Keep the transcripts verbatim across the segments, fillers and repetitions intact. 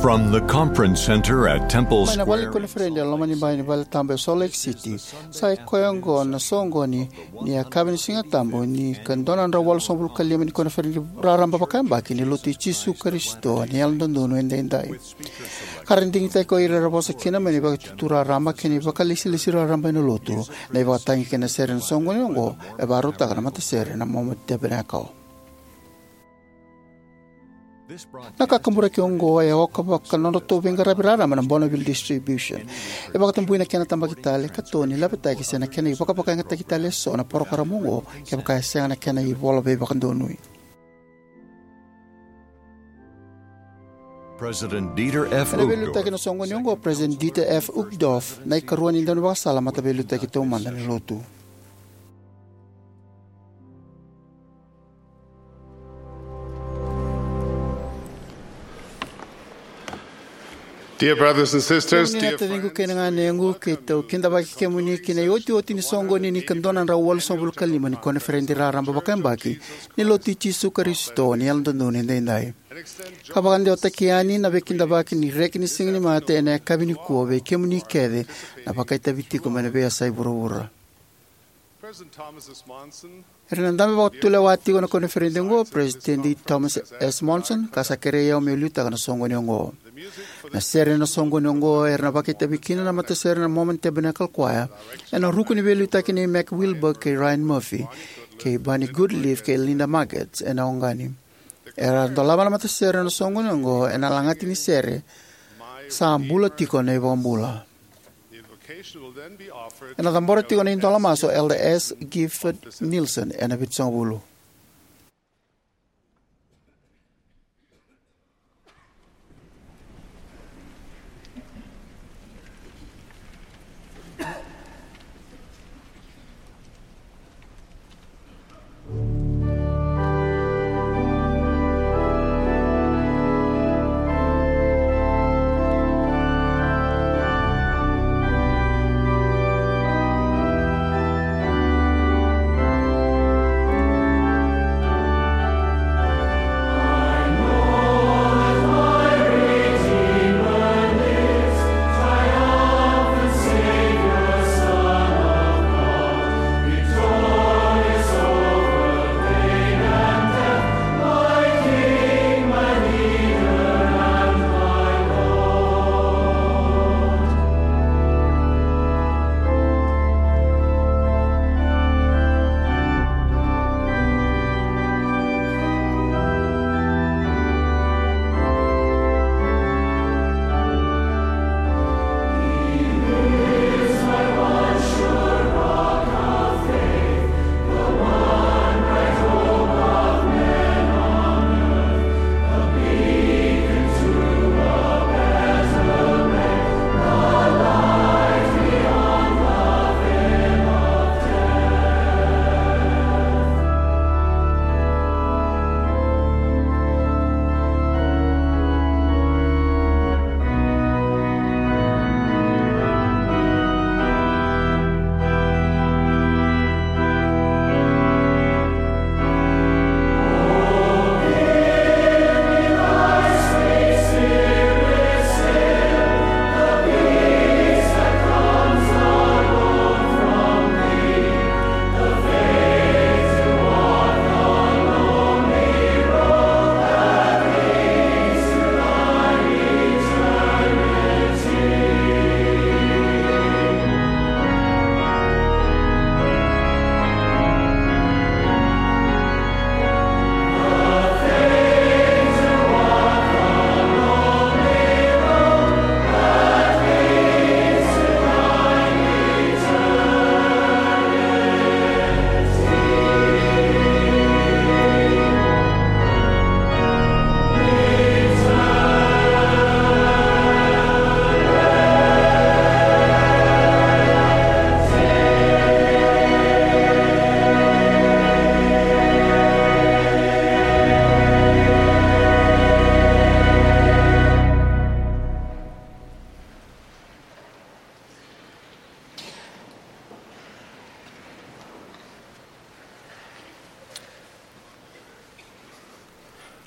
From the conference center at Temple Mai na vale ni Square in koniferedi e loma ni bai ni vale tabu e Salt Lake City, sa i koya oqo na soqoni ni yakavi ni Siga Tabu ni ka dua na drau walusagavulu ka lima ni koniferedi raraba vakayabaki ni Lotu i Jisu Karisito ni Yalododonu Edaidai. Ka ra digitaki ko ira era vosa kina mai na ivakatutu raraba kei na ivakalesilesi raraba ena Lotu, na ivakatagi kei na sere ena soqoni oqo e vakarautaka na matasere na Mormon Tabernacle. Na kakaburaki oqo e oka vaka nodratou veiqaravi raraba na Bonneville Distribution. E vakatabui na kena tabaki tale, katoni, lavetaki se na kena ivakavakayagataki tale eso na parokaramu oqo kevaka e sega na kena ivola veivakadonui. President Dieter F. Ena veiliutaki Uchtdorf, na soqoni oqo o President Dieter F. Uchtdorf, na ikarua ni daunivakasala mataveiliutaki taumada ni Lotu. Dear brothers and sisters, kemuni na dear taciqu kei na ganequ, keitou kidavaki kemuni ki na iotioti ni soqoni ni ka dua na drau walusagavulu ka lima ni koniferedi raraba vakayabaki ni Lotu i Jisu Karisito ni Yalododonu Edaidai. Ka vakadewataki yani na veikidavaki ni reki ni Siga ni Mate ena yakavi nikua vei kemuni kece na vakaitavi tiko mai na veiyasai vuravura. President Thomas S. Monson. Era na dabe vakatulewa tiko na koniferedi oqo o President Thomas S. Monson, ka sa kerei au meu liutaka na soqoni oqo. Na sere ena soqoni oqo era na vakaitavi kina na matasere na Mormon Tabernacle Choir, ena ruku ni veiliutaki nei Mac Wilberg kei Ryan Murphy, kei Barney Goodleaf kei Linda Margetts ena oqani. Era dolava na matasere ena soqoni oqo ena lagati ni sere, Sa Bula Tiko na iVakabula. Ena cabora tiko na idola masu o Elder S. Gifford Nielsen ena vitusagavulu.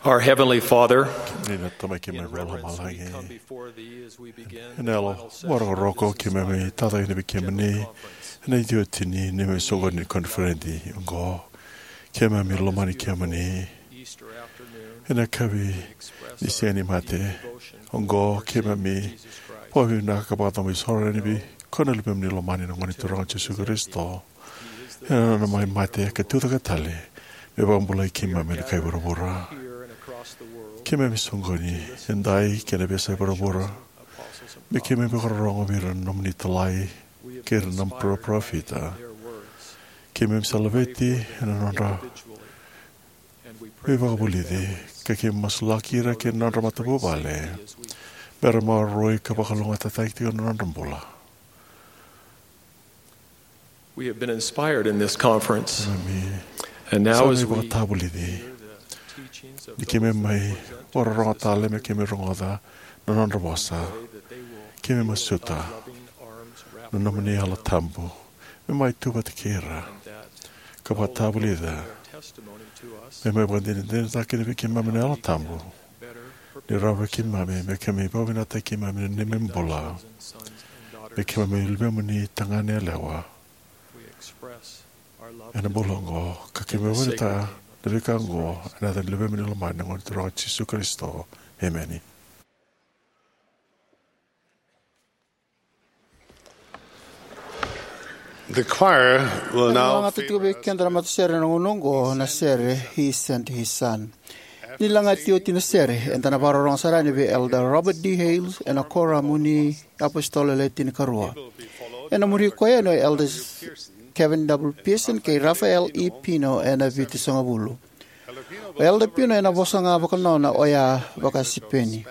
Our Heavenly Father, ni na Tamai keimami vakalomalagi, ena yalo vakarokoroko keimami tacake vei kemuni ena iotioti ni neimami soqoni ni koniferedi oqo. Keimami lomani kemuni ena yakavi ni Siga ni Mate oqo. Keimami vakavinavinaka ka vakacabo isoro yani vei iko na Luvemuni lomani, na Gone Turaga o Jisu Karisito, ena nona mai mate ka tucake tale me vakabulai keimami ena kai vuravura. Keimami soqoni edai kei na veiyasai vuravura me keimami vakarorogo vei ira na nomuni italai kei ira na nomuni parofita. Keimami sa laveti ena nodra veivakavulici, ka keimami masulaki ira kei na nodra matavuvale me ra maroroi ka vakalougatataki tiko na nodra bula. We have been inspired in this conference. Keimami sa mai vakatavulici ni keimami mai vakarorogo tale me keimami rogoca na nodra vosa. Keimami masuta na nomuni Yalo Tabu me mai tu vata kei ira ka vakatavulica, me mai vakadinadinataka kina vei keimami na Yalo Tabu ni rawa vei keimami me keimami vakavinakataki keimami ena neimami bula, me keimami luvemuni tagane yalewa ena bula oqo. Ka keimami vakavinavinakataka na veika oqo ena yaca ni Luvemuni lomani, na Gone Turaga o Jisu Karisito. Emeni. The choir will now lagata tiko vei keda na matasere ena gauna oqo na sere He Sent His Son. Ni lagati oti na sere, eda na vakarorogo sara yani vei Elder Robert D. Hales ena Koramu ni iApositolo Le Tinikarua. Ena muri koya yani o Elders Kevin W. Pearson kei Rafael E. Pino ena Vitusagavulu. O Elder Pino ena vosa ga vakanona, oya vaka-Sipeni.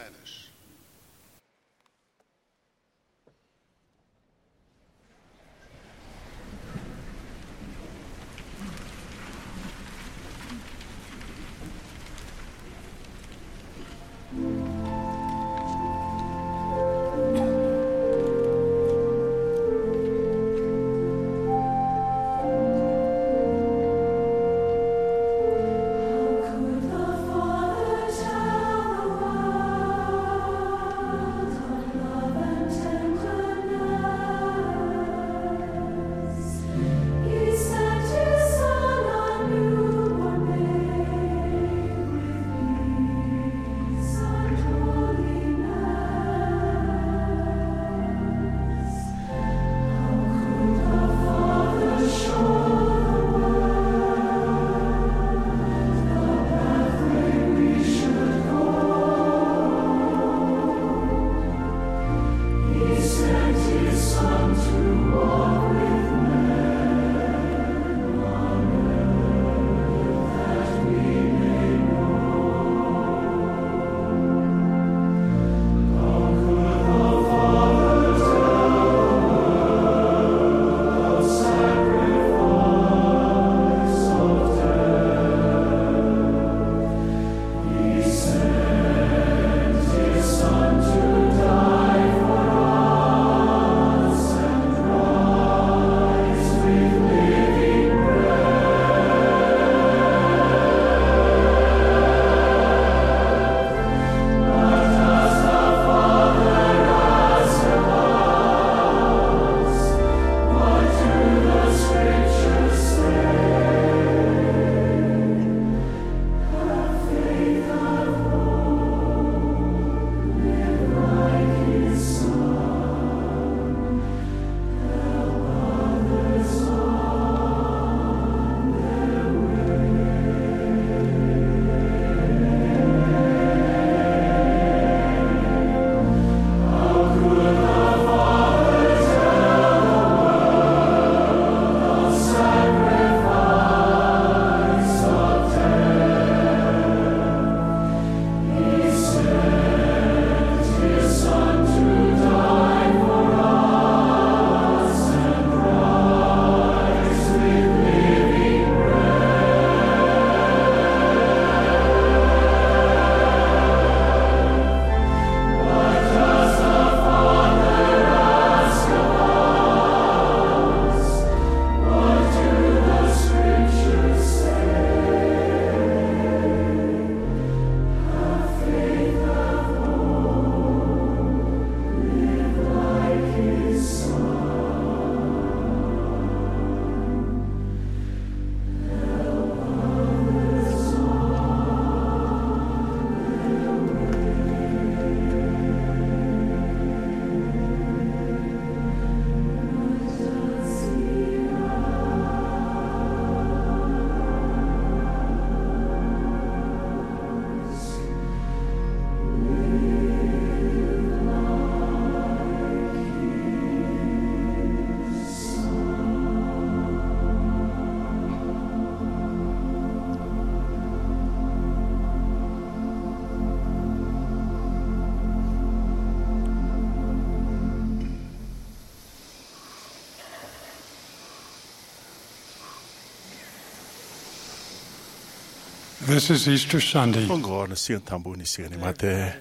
This is Easter Sunday. Oqo na Siga Tabu ni Siga ni Mate.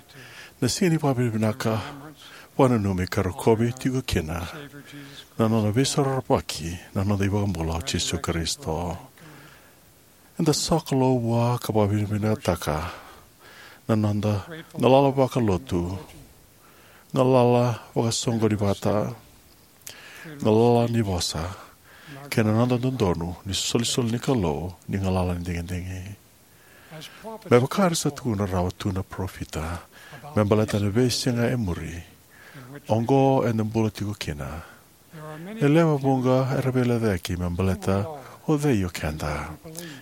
Na siga ni vakavinavinaka, vakananumi ka rokovi tiko kina na nona veisorovaki na noda iVakabula o Jisu Karisito. Eda sokalou vua ka vakavinavinakataka na noda galala vakalotu, galala vakasoqoni vata, galala ni vosa, kei na noda dodonu ni solisoli ni Kalou ni galala ni digidigi. Me vaka era sa tukuna rawa tu na parofita me baleta na veisiga e muri, oqo eda bula tiko kina, e lewe vuqa era veilecayaki me baleta o cei o keda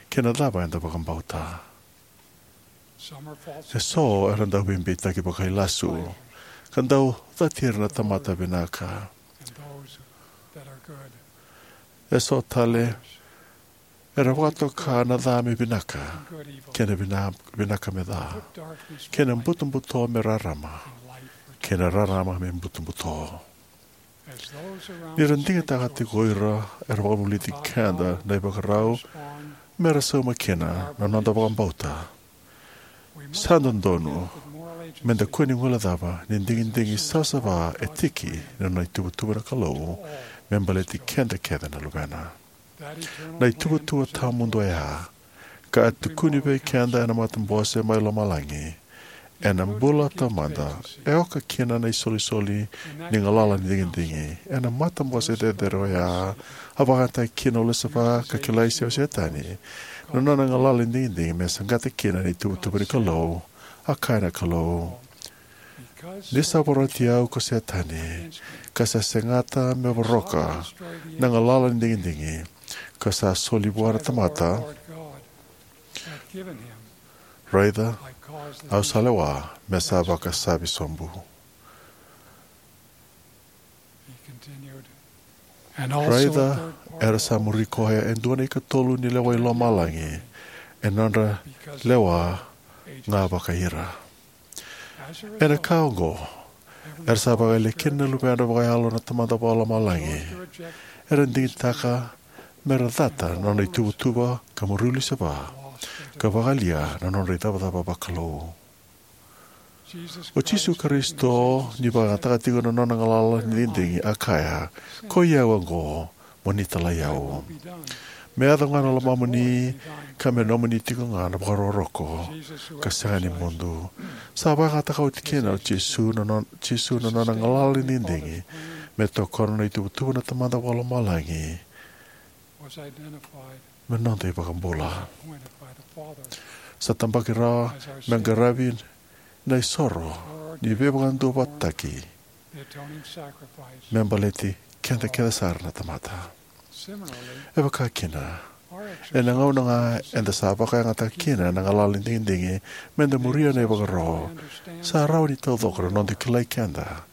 kei na cava eda vakabauta. Eso era dau veibeitaki vakailasu ka dau cati ira na tamata vinaka. Eso tale era vakatoka na ca me vinaka, kei na vina-, vinaka me ca, kei na butobuto me rarama, kei na rarama me butobuto. Ni ra digitaka tiko o ira era vakavulici keda na ivakarau me ra sauma kina na noda vakabauta, sa dodonu me da kua ni guilecava ni digidigi savasava e tiki ni nona ituvatuva na Kalou me baleti keda kece na luvena. Na ituvatuva tawamudu oya, ka a tukuni vei keda ena matabose mai lomalagi, ena bula taumada, e oka kina na isolisoli ni galala ni digidigi. Ena matabose cecere oya, a vakayagataki kina o Lusifa ka kilai se o Setani na nona galala ni digidigi me saqata kina na ituvatuva ni Kalou. A kaya na Kalou: "Ni sa vorati au ko Setani, ka sa segata me voroka na galala ni digidigi ka sa soli vua na tamata, raica, au sa lewa me sa vakasavi sobu." Raica, era sa muri koya e dua na ikatolu ni lewa i lomalagi, e nodra lewa ga vakai ira. Ena ka oqo, era sa vakayalia kina na luvedra vakayalo na Tamada Vakalomalagi. Era digitaka me ra cata na nona ituvatuva ka muri Lusifa, ka vakayalia na nodra icavacava vakalou. O Jisu Karisito, ni vakayagataka tiko na nona galala ni digidigi, a kaya: "Koi au oqo, mo ni talai au. Me yaco ga na lomamuni, ka me nomuni tiko ga na vakarokoroko ka sega ni mudu." Sa vakayagataka oti kina o Jisu na non-, Jisu na nona galala ni digidigi me tokona na ituvatuva na Tamada Vakalomalagi me noda iVakabula. Sa tabaki rawa me qaravi na isoro ni veivakaduavatataki me baleti keda kece sara na tamata. E vaka kina, ena gauna ga eda sa vakayagataka kina na galala ni digidigi me da muria na ivakaro, sa rawa ni taucoko na noda kilai keda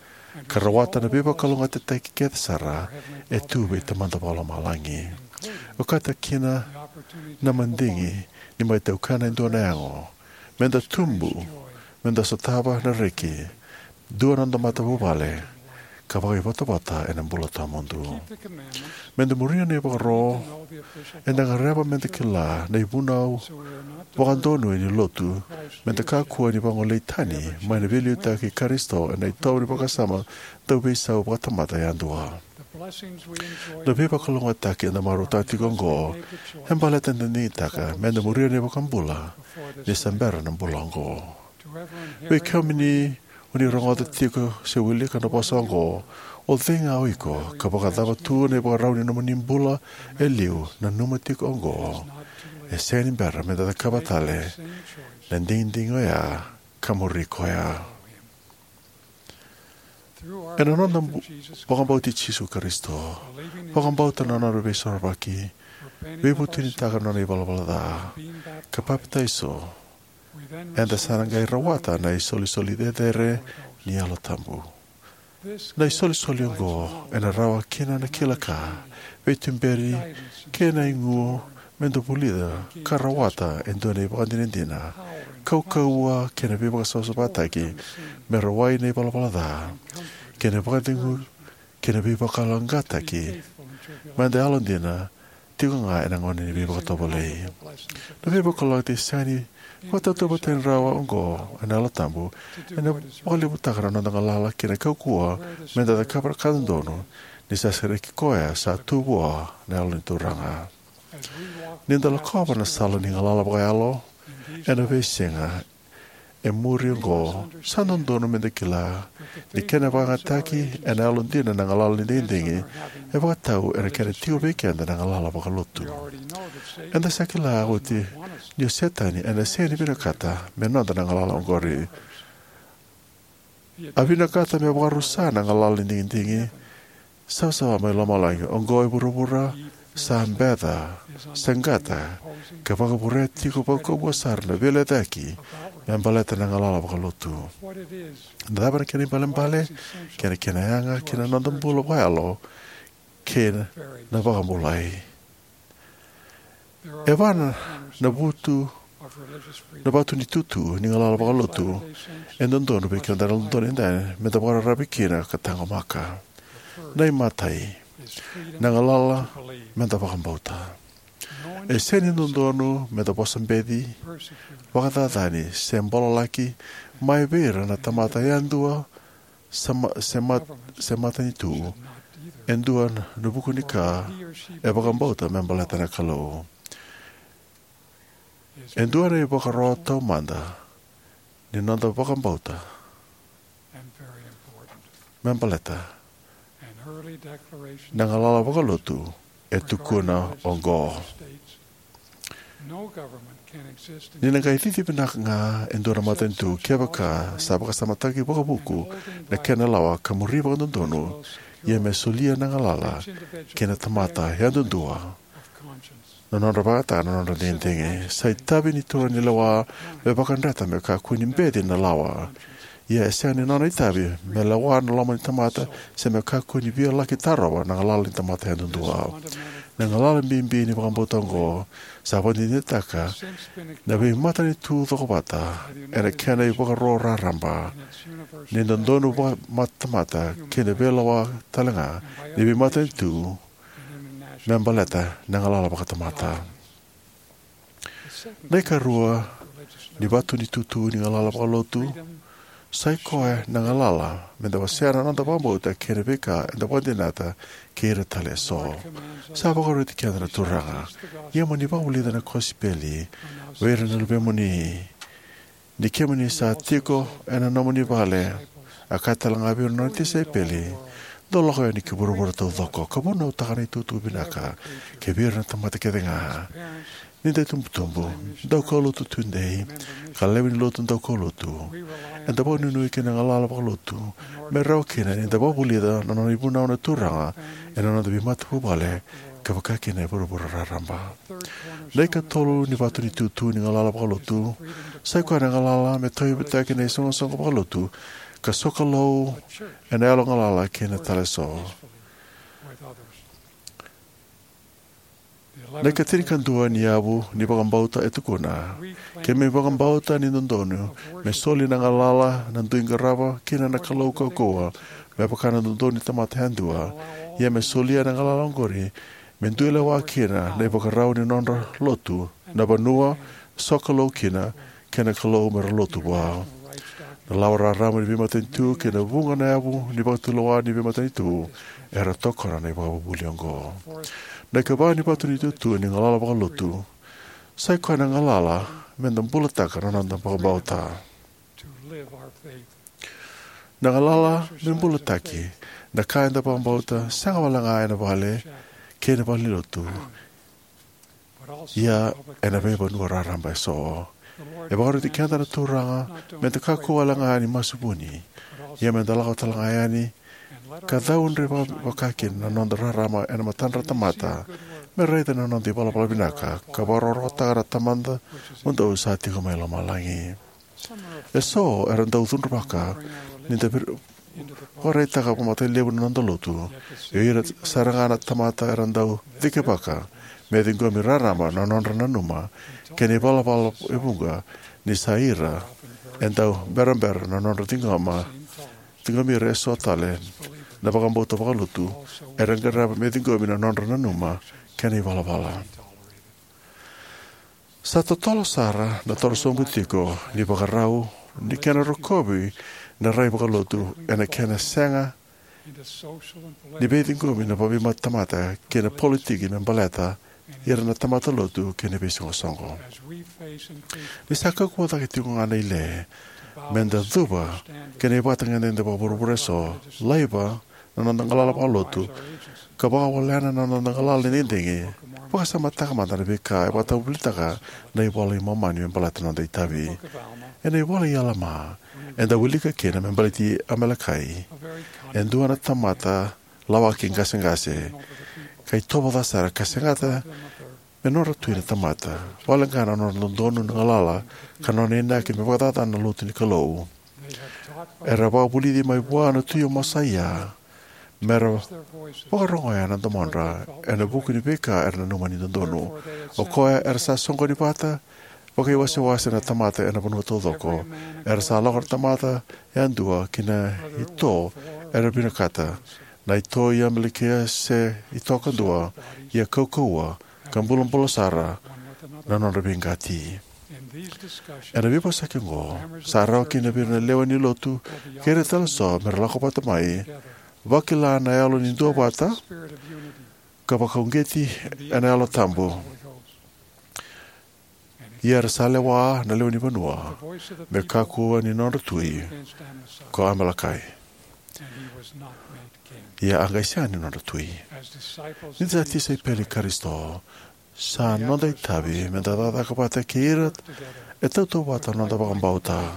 ka rawata na veivakalougatataki kece sara e tu vei Tamada Vakalomalagi. Okati kina na madigi ni mai taukena e dua na yago, me da tubu, me da sotava na reki, dua na noda matavuvale, ka vakaivotavota ena bula tawamudu. Me da muria na ivakaro, eda gadreva me da kila na ivunau vakadonui ni lotu, me da kakua ni vagolei tani mai na veiliutaki i Karisito ena itovo ni vakasama dauveisau vakatamata yadua. Na veivakalougatataki eda marautaka tiko oqo e baleta ni da digitaka me da muria na iVakabula ni se bera na bula oqo. Vei kemuni o ni rogoca tiko se wilika na vosa oqo, o cei ga o iko, ka vakacava tu na ivakarau ni nomuni bula e liu, nanuma tiko oqo: e sega ni bera me da cakava tale na digidigi oya ka muri koya. Ena noda bu-, vakabauti Jisu Karisito, vakabauta na nona veisorovaki, veivutunitaka na nona ivalavala ca, ka papitaiso, eda sa na qai rawata na isolisoli cecere ni Yalo Tabu. Na isolisoli oqo ena rawa kina na kila ka, veituberi, kei na igu me da vulica ka rawata e dua na ivakadinadina, kaukauwa kei na veivakasavasavataki me rawai na ivalavala ca, kei na vakacegu kei na veivakayaloqaqataki me da yalodina tiko ga ena gauna ni veivakatovolei. Na veivakalougatataki sega ni vakatauvatani rawa oqo ena Yalo Tabu ena vakalevutaka na noda galala kei na kaukauwa meda cakava na ka dodonu, ni sa sereki koya sa tu vua na Yalo ni Turaga. Ni da lakova na sala ni galala vakayalo ena veisiga e muri oqo, sa dodonu meda kila ni kena vakayagataki ena yalodina na galala ni digidigi e vakatau ena kena tiko vei keda na galala vakalotu. Eda sa kila oti ni o Setani ena sega ni vinakata me noda na galala oqori. A vinakata me vakarusa na galala ni digidigi savasava mai lomalagi. Oqo e vuravura sa beca, saqata, ka vakavurea tiko vakaukauwa sara na veilecayaki me baleta na galala vakalotu. Na cava na kena ibalebale, kei na kena yaga ki na noda bula vakayalo kei na vakabulai? E va na vutu, na vatu ni tutu ni galala vakalotu e dodonu vei keda na dodonu e dai meda vakararavi kina ka taqomaka. Na imatai, na galala meda vakabauta. E sega ni dodonu meda vosa beci, vakacacani, se bololaki mai vei ira na tamata yadua se ma-, se mat-, se matanitu e dua na vuku ni ka e vakabauta me baleta na Kalou. E dua na ivakaro taumada ni noda vakabauta me baleta na galala vakalotu e tukuna oqo. Ni na qai cici vinaka ga e dua na matanitu kevaka sa vakasamataki vakavuku na kena lawa ka muri vakadodonu, ia me solia na galala ki na tamata yadudua na nodra vakayagataka na nodra digidigi. Sa itavi ni turaganilewa me vakadreta me kakua ni beci na lawa. Ia e sega ni nona itavi me lewa na loma ni tamata se me kakua ni via laki tarova na galala ni tamata yadudua. Na galala bibi ni vakabauta oqo sa vakadinadinataka na veimatanitu cokovata ena kena ivakaro raraba ni dodonu vakamatamata kei na veilawa talega ni veimatanitu me baleta na galala vakatamata. Na ikarua ni vatu ni tutu ni galala vakalotu sa i koya na galala meda wasea na noda vakabauta kei na veika eda vakadinata kei ira tale eso. Sa vakaroti keda na Turaga, ia mo ni vakavulica na kosipeli vei ira na luvemuni. Ni kemuni sa tiko ena nomuni vale, a kaya talega vei ira na nona tisaipeli, dou lako yani ki vuravura taucoko ka vunautaka na itukutuku vinaka kivei ira na tamata kecega. Ni da itubutubu daukaulotu tudei ka lewe ni lotu daukaulotu, eda vakanuinui ki na galala vakalotu me rawa kina ni da vakavulica na nona ivunau na Turaga ena noda veimatavuvale ka vaka kina e vuravura raraba. Na ikatolu ni vatu ni tutu ni galala vakalotu sa i koya na galala me tauyavutaki na isoqosoqo vakalotu ka sokalou ena yalo galala kei na tale eso. Na ikatinikadua ni yavu ni vakabauta e tukuna, keimami vakabauta ni dodonu me soli na galala na dui qarava kina na Kalou kaukauwa, me vaka na dodonu ni tamata yadua, ia me solia na galala oqori me dui lewa kina na ivakarau ni nodra lotu, na vanua, sokalou kina kei na Kalou mera lotu vua. Na lawa raraba ni veimatanitu kei na vuqa na yavu ni vakatulewa ni veimatanitu era tokona na ivakavuvuli oqo. Na ikava ni vatu ni tutu ni galala vakalotu sa i koya na galala meda bulataka na noda vakabauta. Na galala me bulataki na ka eda vakabauta sega walega ena vale kei na valenilotu, ia ena veivanua raraba eso. E vakaroti keda na Turaga meda kakua walega ni masu vuni, ia meda lako talega yani ka caudre vaka, vakakina na noda rarama ena matadra tamata, me raica na noda ivalavala vinaka ka vakarokorokotaka na Tamada mudou sa tiko mai lomalagi. Eso era dau cudruvaka ni da vir-, vakaraitaka vakamatailevu na noda lotu. Ia o ira sara ga na tamata era dau cikevaka me ciqomi raraba na nodra nanuma kei na ivalavala e vuqa ni sa ira e dau berabera na nodra ciqoma, ciqomi ira eso tale na vakabauta vakalotu era gadreva me ciqomi na nodra nanuma kena ivalavala. Sa totolo sara na torosobu tiko ni vakarau ni kena rokovi na rai vakalotu ena kena sega ni veiciqomi na veimatamata kei na politiki me baleta ira na tamata lotu kei na veisoqosoqo. Ni sa kaukauwa cake tiko ga na ile me da cuva kei na ivakatagedegede vakavuravura eso, laiva na noda galala vakalotu, ka vakawalena na noda galala ni digidigi, vakasamataka mada na veika e vakatavuvulitaka na iVola i Momani me baleta na noda itavi. Ena ivola i Alama, eda wilika kina me baleti Amalekai, e dua na tamata lawaki qaseqase, ka itovo ca sara, ka segata me nodra tui na tamata, vakaleqa na nodra dodonu na galala ka nona inaki me vakacacana na lotu ni Kalou. Era vakavulici mai vua na tui o Mosaia mera vakarogoya na domodra ena vuku ni veika era nanuma ni dodonu. O koya era sa soqoni vata vakaiwasewase na tamata ena vanua taucoko. Era sa lako na tamata yadua ki na ito era vinakata, na ito i Amalekai se ito kadua, ia kaukauwa ka bulabula sara na nodra veiqati. Ena veivosaki oqo, sa rawa kina vei ira na lewe ni lotu kei ira tale eso mera lako vata mai, vakila na yalo ni duavata, ka vakauqeti ena Yalo Tabu. Ia era sa lewa na lewe ni vanua me kakua ni nodra tui ko Amalekai. Ia a qai sega ni nodra tui. Ni da sa tisaipeli i Karisito, sa noda itavi me da cakacaka vata kei ira e tautauvata na noda vakabauta.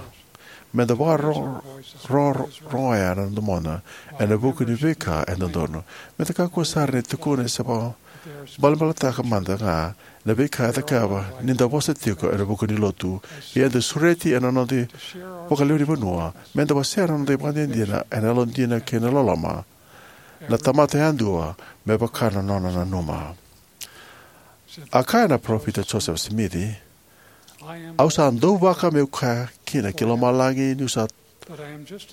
Me da vakarorogoya na domona ena vuku ni veika e dodonu. Me da kakua sara ni tukuna se vakabalebaletaka mada ga na veika e cakava ni da vosa tiko ena vuku ni lotu. Ia eda sureti ena noda vakalewe ni vanua me da wasea na noda ivakadinadina ena yalodina kei na loloma, na tamata yadua me vaka na nona nanuma. A kaya na Parofita Josefa Simici, "Au sa dauvaka meu kaya kina ki lomalagi niu sa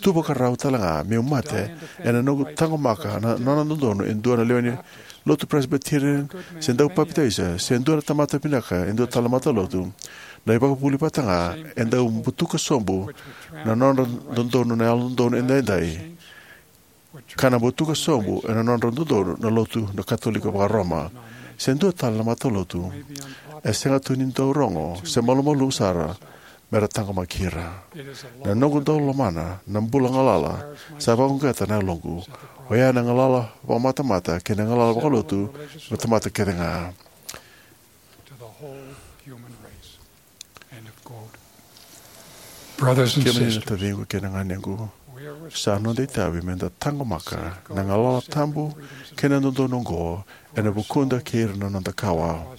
tu vakarau tale ga meu mate ena noqu taqomaka na nona dodonu e dua na lewe ni lotu Presbyterian, se dau papitaiso, se dua na tamata vinaka e dua tale na matalotu. Na ivakavuvuli vata ga e dau butuka sobu na nodra dodonu na yalododonu edaidai, ka na butuka sobu ena nodra dodonu na lotu na Katolika Vakaroma, se dua tale na matalotu. E sega tu ni dau rogo se malumalumu sara mera taqomaki ira. Na noqu dau lomana na bula galala sa vakauqeta na yaloqu, oya na galala vakamatamata kei na galala vakalotu na tamata kece ga." Kemuni na taciqu kei na ganequ, sa noda itavi me da taqomaka na galala tabu kei na dodonu oqo ena vukuda kei ira na noda kawa.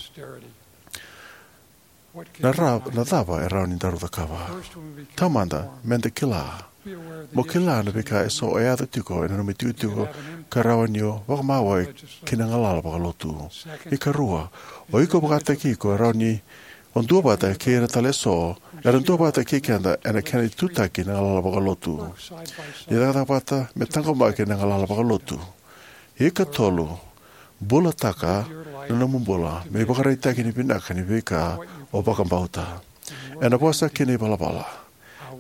Na, ra, na cava e rawa ni daru cakava? Taumada, me da kila. Mo kila na veika eso e yaco tiko ena nomu itikotiko ka rawa ni o vakamawai ki na galala vakalotu. Ikarua, o iko vakataki iko e rawa ni o duavata kei ira tale eso era duavata kei keda ena kena itutaki na galala vakalotu. Ni cakacaka vata me taqomaki na galala vakalotu. Ikatolu, bulataka na nomu bula me ivakaraitaki ni vinaka ni veika o vakabauta. Ena vosa kei na ivalavala,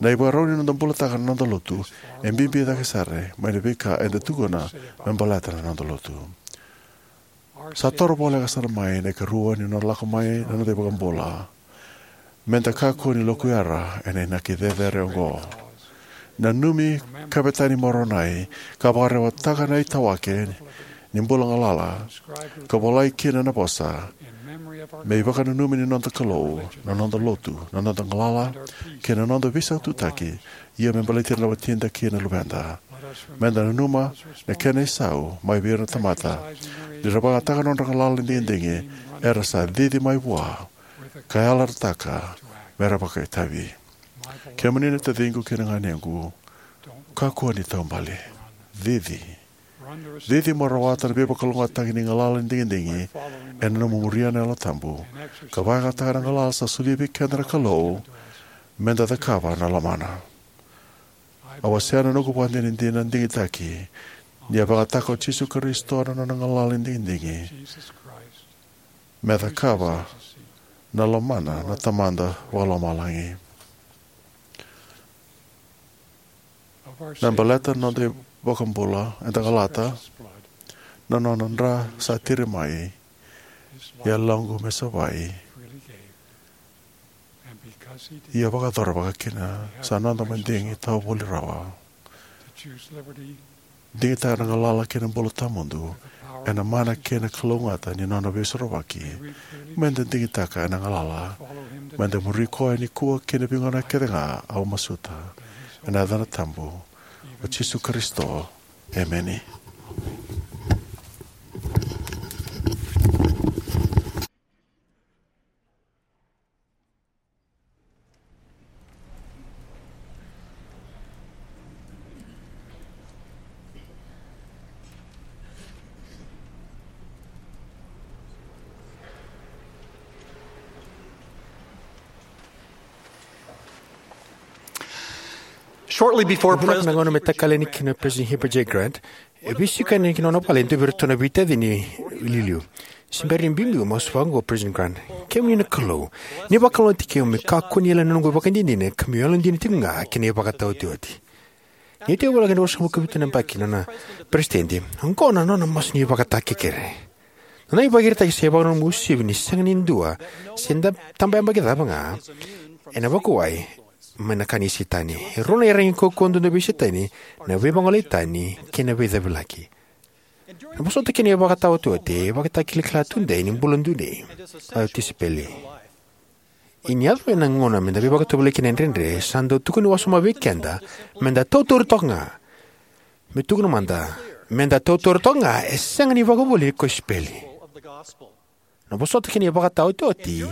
na ivakarau ni noda bulataka na noda lotu e bibi cake sara mai na veika eda tukuna me baleta na noda lotu. Sa toro voleka sara mai na ikarua ni nona lako mai na noda iVakabula. Me da kakua ni lokuyara ena inaki cecere oqo. Nanumi Kavetani Moronai ka vakarewataka na itawake ni bula galala, ka volai kina na vosa: "Me ivakananumi ni noda Kalou na noda lotu, na noda galala, kei na noda veisaututaki, ia me baleti ira na watida kei na luveda." Me da nanuma na kena isau mai vei ira na tamata ni ra vakayagataka na nodra galala ni digidigi, era sa cici mai vua ka yalataka me ra vakaitavi. Kemuni na taciqu kei na ganequ, kakua ni taubale. Cici. Cici mo rawata na veivakalougatataki ni galala ni digidigi ena nomu muria na Yalo Tabu ka vakayagataka na galala sa solia vei keda na Kalou me da cakava na lomana. Au wasea na noqu ivakadinadina digitaki ni a vakayagataka o Jisu Karisito na nona galala ni digidigi me cakava na lomana na Tamada Vakalomalagi. Na baleta na noda iVakabula eda galata, na nona dra sa tiri mai, yaloqu me savai, ia vakayacora vakakina sa noda madigi tawa voli rawa. Digitaka na galala kei na bula tawamudu ena mana kei na kalougata ni nona veisorovaki. Meda digitaka ena galala. Meda muri koya nikua kei na veigauna kece ga, au masuta ena yacana tabu o Jisu Karisito. Emeni. Shortly before President, na gauna me takali yani kina President Heber J. Grant, e veisiko yani ki na nona vale e dua vei iratou na veitacini iliuliu. Se bera ni biubiu, masu vaqo o President Grant: Kemuni na Kalou, ni vakalougatataki au me kakua ni yali na noqu ivakadinadina, ka meu yalodina tiko ga ki na ivakataotioti. Ni tekivu voleka ni ruasagavulu ka vitu na yabaki na nona peresitedi, oqo na nona masu ni ivakatakekere. Na nona ivakaraitaki sa ivakananumi uasivi ni sega ni dua, se da tabaka yabaki cava ga, ena vakuwai mai na ka ni Setani. E rua na iyaragi kaukauwa duadua vei Setani: na veivagolei tani kei na veicavilaki. Na vosota kei na ivakataotioti e ivakatakilakila tudei ni bula dodonu, na tisaipeli. Ia ni yaco mai na gauna meda veivakatovolei kina e dredre, sa dau tukuni wasoma vei keda meda tautauri toka ga. Me tukuna mada, meda tautauri toka ga, e sega ni ivakavuvuli ni kosipeli. Na vosota kei na ivakataotioti,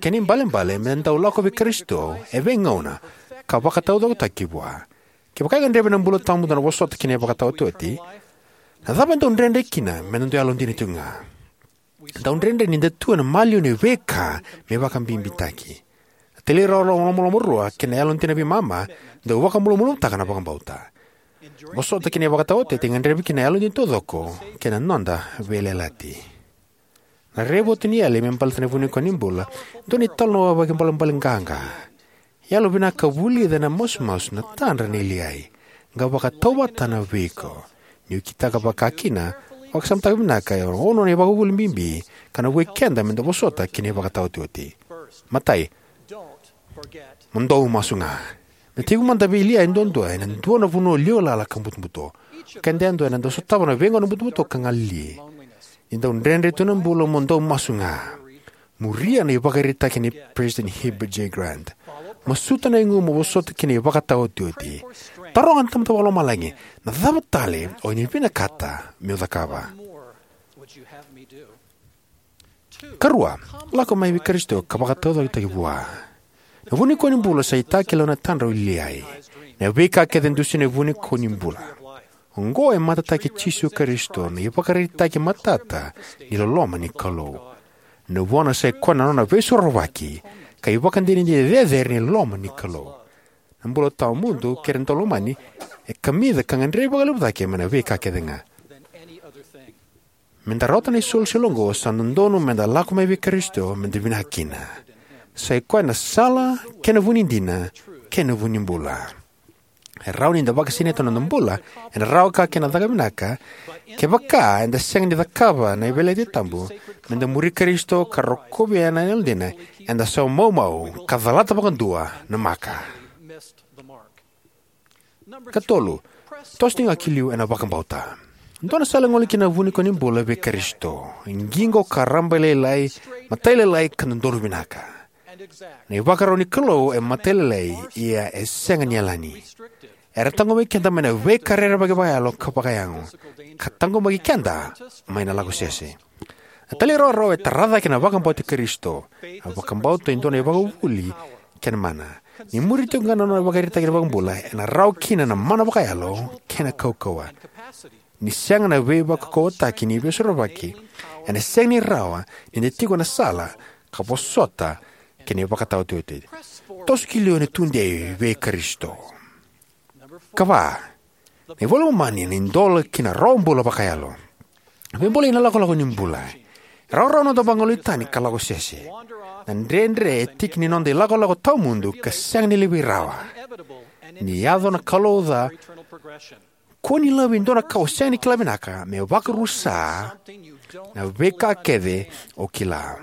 kena ibalebale meda dau lako vei Karisito e veigauna ka vakataucokotaki Vua. Kevaka e gadrevi ena bula tawamudu na vosota kei na ivakataotioti, na cava e dau dredre kina meda dau yalodina tiko ga? Dau dredre ni da tu ena maliwa ni veika me vakabibitaki. Na talairawarawa lomalomarua kei na yalodina veimama dau vakamalumalumutaka na vakabauta. Vosota kei na ivakataotioti e gadrevi kina na yalodina taucoko kei na noda veiyalayalati. Na raivotu ni yali me baleta na vunikau ni bula e dua na italanoa vakaibalebale qaqa. Yalovinaka vulica ena masumasu na tadra nei Liai, qai vakatauvatana vei iko. Niu kitaka vakakina, vakasamataka vinaka e ono na ivakavuvuli bibi ka na vukei keda meda vosota kei na ivakataotioti. Matai, mo dau masu ga. Me tekivu mada vei Liai duadua ena dua na vanua liwa lala ka butobuto. O keda yadua eda dau sotava na veigauna butobuto ka galili. Ni dau dredre tu na bula, mo dau masu ga. Muria na ivakaraitaki nei President Heber J. Grant. Masuta na igu mo vosota kei na ivakataotioti. Taroga na Tamada Vakalomalagi, na cava tale o ni vinakata meu cakava? Karua, lako mai vei Karisito ka vakataucokotaki Vua. Na vunikau ni bula sa itakele ena tadra o Liai. Na veika kece e dusia ena vunikau ni bula. Oqo e matataki Jisu Karisito, na ivakaraitaki matata ni loloma ni Kalou. Na vuna sa ikoya na nona veisorovaki ka ivakadinadina cecere ni loma ni Kalou. Na bula tawamudu kei ira na daulomani e kamica ka gadrevi vakalevu cake mai na veika kece ga. Meda rawata na isolisoli oqo, sa dodonu meda lako mai vei Karisito meda vinaka kina. Sa ikoya na sala kei na vu ni dina kei na vu ni bula. E rawa ni da vakasinaita na noda bula ena rawa ka kei na caka vinaka. Kevaka eda sega ni cakava na veiyalayalati tabu meda muri Karisito ka rokovi ena yalodina, eda sa maumau ka calata vakadua na maka. Katolu, toso tiko ga ki liu ena vakabauta. Dua na sala e gole kina na vunikau ni bula vei Karisito. Qiqo ka rabailailai, matailalai ka dodonu vinaka. Na ivakarau ni Kalou e matailalai, ia e sega ni yalani. Era taqomaki keda mai na veika rerevaki vakayalo ka vakayago, ka taqomaki keda mai na lako sese. Na talairawarawa e tara cake na vakabauti Karisito. Na vakabauta e dua na ivakavuvuli kei na mana. Ni muri tiko ga na nona ivakaraitaki na iVakabula, ena rawa kina na mana vakayalo kei na kaukauwa. Ni sega na veivakaukauwataki ni veisorovaki, ena sega ni rawa ni da tiko ena sala ka vosota kei na ivakataotioti. Toso ki liu ena tudei vei Karisito. Kava, na iVola i Momani na idola ki na rawa bula vakayalo. Veibolei na ilakolako ni bula. Rawarawa noda vagolei tani ka lako sese. Na dredre e tiki ni noda ilakolako tawamudu ka sega ni levu rawa. Ni yaco na kalou ca, kua ni laivi e dua na ka o sega ni kila vinaka me vakarusa na veika kece o kila.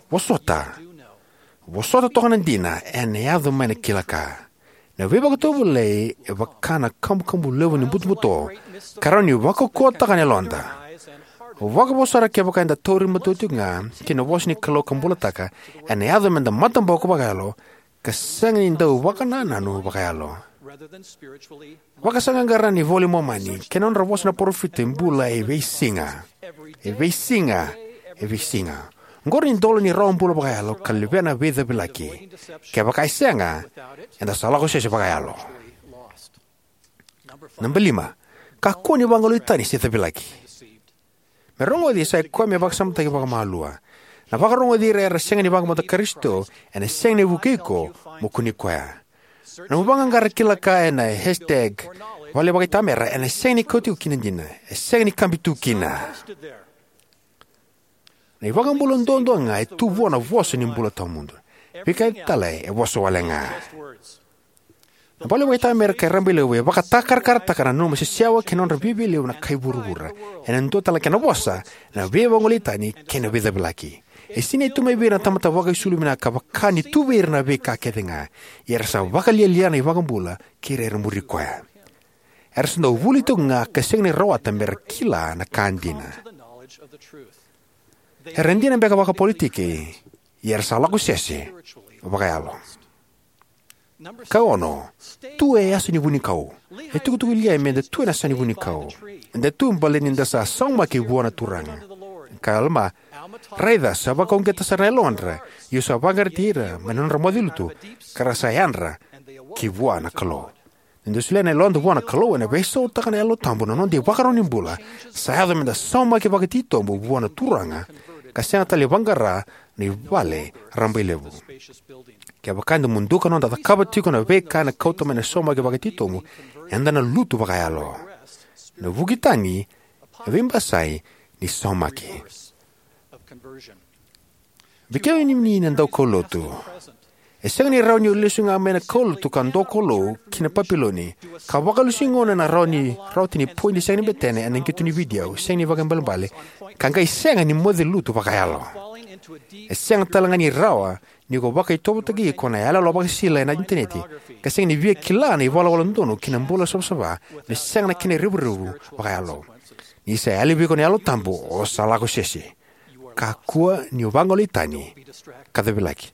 Vosota. Vosota toka na dina ena yaco mai na kila ka. Na veivakatovolei e vaka na kabukabu levu ni butobuto ka rawa ni vakaukauwataka na yaloda. Vakavo sara kevaka eda tauri matua tiko ga ki na vosa ni Kalou ka bulataka, ena yaco meda mataboko vakayalo ka sega ni dau vakanananu vakayalo. Vakasaqaqara ni iVola i Momani kei na nodra vosa na parofita e bula e veisiga. E veisiga. E veisiga. Oqori na idola ni rawa bula vakayalo ka levea na veicavilaki. Kevaka e sega, eda sa lako sese vakayalo. Naba lima. Kakua ni vagolei tani se cavilaki. Me rogoci, sa i koya me vakasamataki vakamalua. Na vakarogoci ira era sega ni vakabauta Karisito ena sega ni vukei iko mo kunei koya. Na nomu vaqaqara kila ka ena hashtag vale vakaitamera ena sega ni kauti iko ki na dina. E sega ni kabi tu kina. Na iVakabula duadua ga e tu vua na vosa ni bula tawamudu. Veika tale e vosa wale ga. Na vale vakaitamera kei Rabailevu e vakatakarakarataka na nanuma sesewa kei na nodra viavialevu na kai vuravura. Ena dua tale na kena vosa, na veivagolei tani kei na veicavilaki. E sinai tu mai vei ira na tamata vakaisulu vinaka vaka ni tu vei ira na veika kece ga. Ia era sa vakalialia na iVakabula kei ira era muri koya. Era sa dau vuli tiko ga ka sega ni rawata mera kila na ka dina. Era dina beka vakapolitiki, ia era sa lako sese vakayalo. Ka ono, tu e yasa ni vunikau. E tukutuku liai meda tu ena yasa ni vunikau. Eda tu baleta ni da sa saumaki vua na Turaga. Ka Alama, raica sa vakauqeta sara na yalodra, io sa vaqarati ira mai na nodra moce lutu, ka ra sa yadra ki vua na Kalou. Ni da solia na yaloda vua na Kalou, ena veisautaka na Yalo Tabu na noda ivakarau ni bula, sa yaco meda saumaki vakatitobu vua na Turaga, ka sega tale ni vaqara na ivale rabailevu. Kevaka eda muduka noda cakava tiko na veika ena kauta mai na saumaki vakatitobu, eda na lutu vakayalo. Na vuki tani, na veibasai ni saumaki. Vei kemuni na daukaulotu, e sega ni rawa ni o lesu ga mai na kaulotu ka dokoulou ki na Papiloni, ka vakalesui gona ena rawa ni, rawati ni poidi sega ni betena ena qito ni vidio, sega ni vakaibalebale, ka qai sega ni moce lutu vakayalo. E sega tale ga ni rawa ni ko vakaitovotaki iko na iyaloyalo vakasisila ena initaneti, ka sega ni via kila na ivalavala donu ki na bula savasava me sega na kena revurevu vakayalo. Ni sa yali vei iko na Yalo Tabu, o sa lako sese. Kakua ni o vagolei tani ka cavilaki.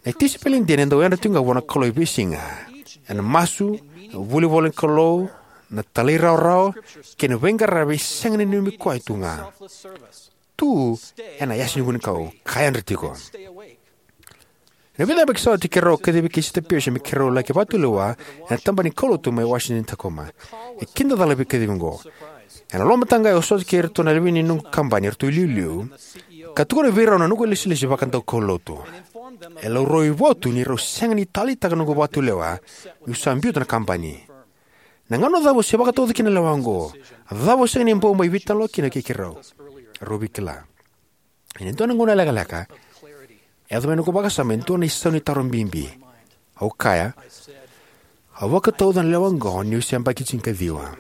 Na tisaipeli dina e dau yadra tiko ga vua na Kalou e veisiga. Ena masu, vuli ivola ni Kalou, na talairawarawa, kei na veiqaravi e sega ni nanumi koya tu ga. Tu ena yasa ni vunikau, ka yadra tiko. Ena vica na yabaki sa oti keirau a kacivi Sisita Pearson me keirau laki vakatulewa ena tabana ni kaulotu mai Washington, Tacoma. E kidacala veikacivi oqo. Ena loma taqaya au sota kei iratou na lewe ni noqu kabani, eratou iliuliu, ka tukuna vei rau na noqu ilesilesi vakadaukaulotu. E laurai au tu ni rau sega ni taleitaka na noqu vakatulewa niu sa biuta na kabani. Na gauna cava o se vakatauca kina na lewa oqo? Cava o sega ni bau mai veitalanoa kina kei keirau? Rau veikilai. Ena dua na gauna lekaleka, e yaco mai na noqu vakasama e dua na isau ni taro bibi. Au kaya, au vakatauca na lewa oqo niu se yabaki tinikaciwa.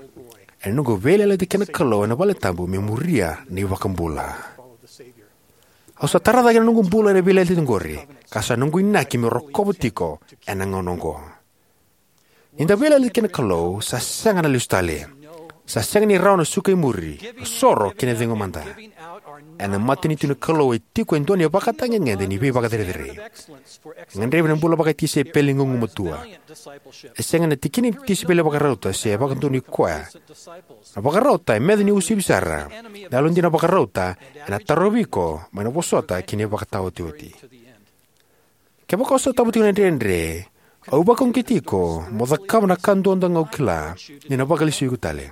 Ena noqu veiyalayalati kei na Kalou ena valetabu me muria na iVakabula. Au sa tara cake na noqu bula ena veiyalayalati oqori, ka sa noqu inaki meu rokova tiko ena gauna oqo. Ni da veiyalayalati kei na Kalou, sa sega na lesu tale. Sa sega ni rawa na suka i muri, na soro kei na cegu mada. Ena matanitu ni Kalou e tiko e dua na ivakatagedegede ni veivakacerecerei. E gadrevi na bula vakatisaipeli gugumatua. E sega na tikina ni tisaipeli vakarauta se vakadonui koya. Na vakarauta e meca ni uasivi sara. Na yalodina vakarauta ena tarovi iko mai na vosota ki na ivakataotioti. Kevaka o sotava tiko na dredre, au vakauqeti iko mo cakava na ka duadua ga o kila ni na vakalesui iko tale.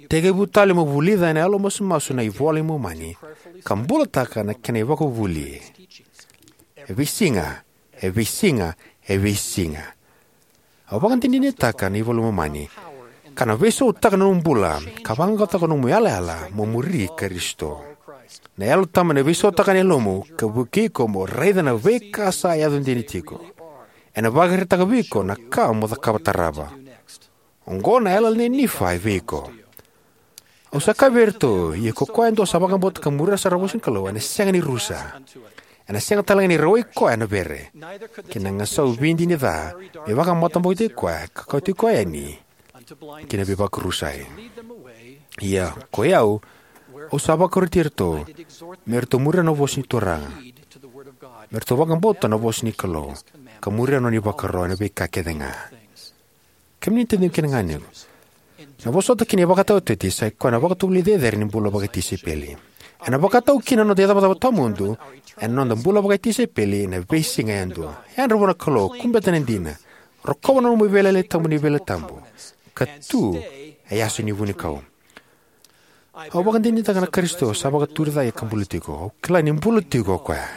Tekivu tale mo vulica ena yalomasumasu na iVola i Momani ka bulataka na kena ivakavuvuli. E veisiga, e veisiga, e veisiga. Au vakadinadinataka na iVola i Momani Ka na veisautaka na nomu bula, ka vaqaqacotaka na nomu yalayala mo muri Karisito. Na Yalo Tabu ena veisautaka na yalomu, ka vukei iko mo raica na veika sa yaco dina tiko. Ena vakaraitaka vei iko na ka mo cakava tarava. Oqo na yalayala nei Nifai vei iko. Au sa kaya vei iratou, ia ko koya e dua sa vakabauta ka muria sara na vosa ni Kalou, ena sega ni rusa. Ena sega tale ga ni rawai koya na vere. Kei na gasau vidi ni ca, me vakamatabokotaki koya, ka kauti koya yani ki na veivakarusai. Ia, ko i au, au sa vakaroti iratou, me ratou muria na vosa ni Turaga. Me ratou vakabauta na vosa ni Kalou, ka muria na nona ivakaro ena veika kece ga. Kemuni na taciqu kei na ganequ, na vosota kina ivakataotioti sa i koya na vakatovolei cecere ni bula vakatisaipeli. Ena vakatau kina na noda icavacava tawamudu ena noda bula vakatisaipeli ena veisiga yadua. Yadra vua na Kalou, kubeta na dina, rokova na nomu veiyalayalati tabu ni Veiyalayalati Tabu, ka tu e yaso ni vunikau. Au vakadinadinataka na Karisito sa vakaturi cake ka bula tiko. Au kila ni bula tiko o koya.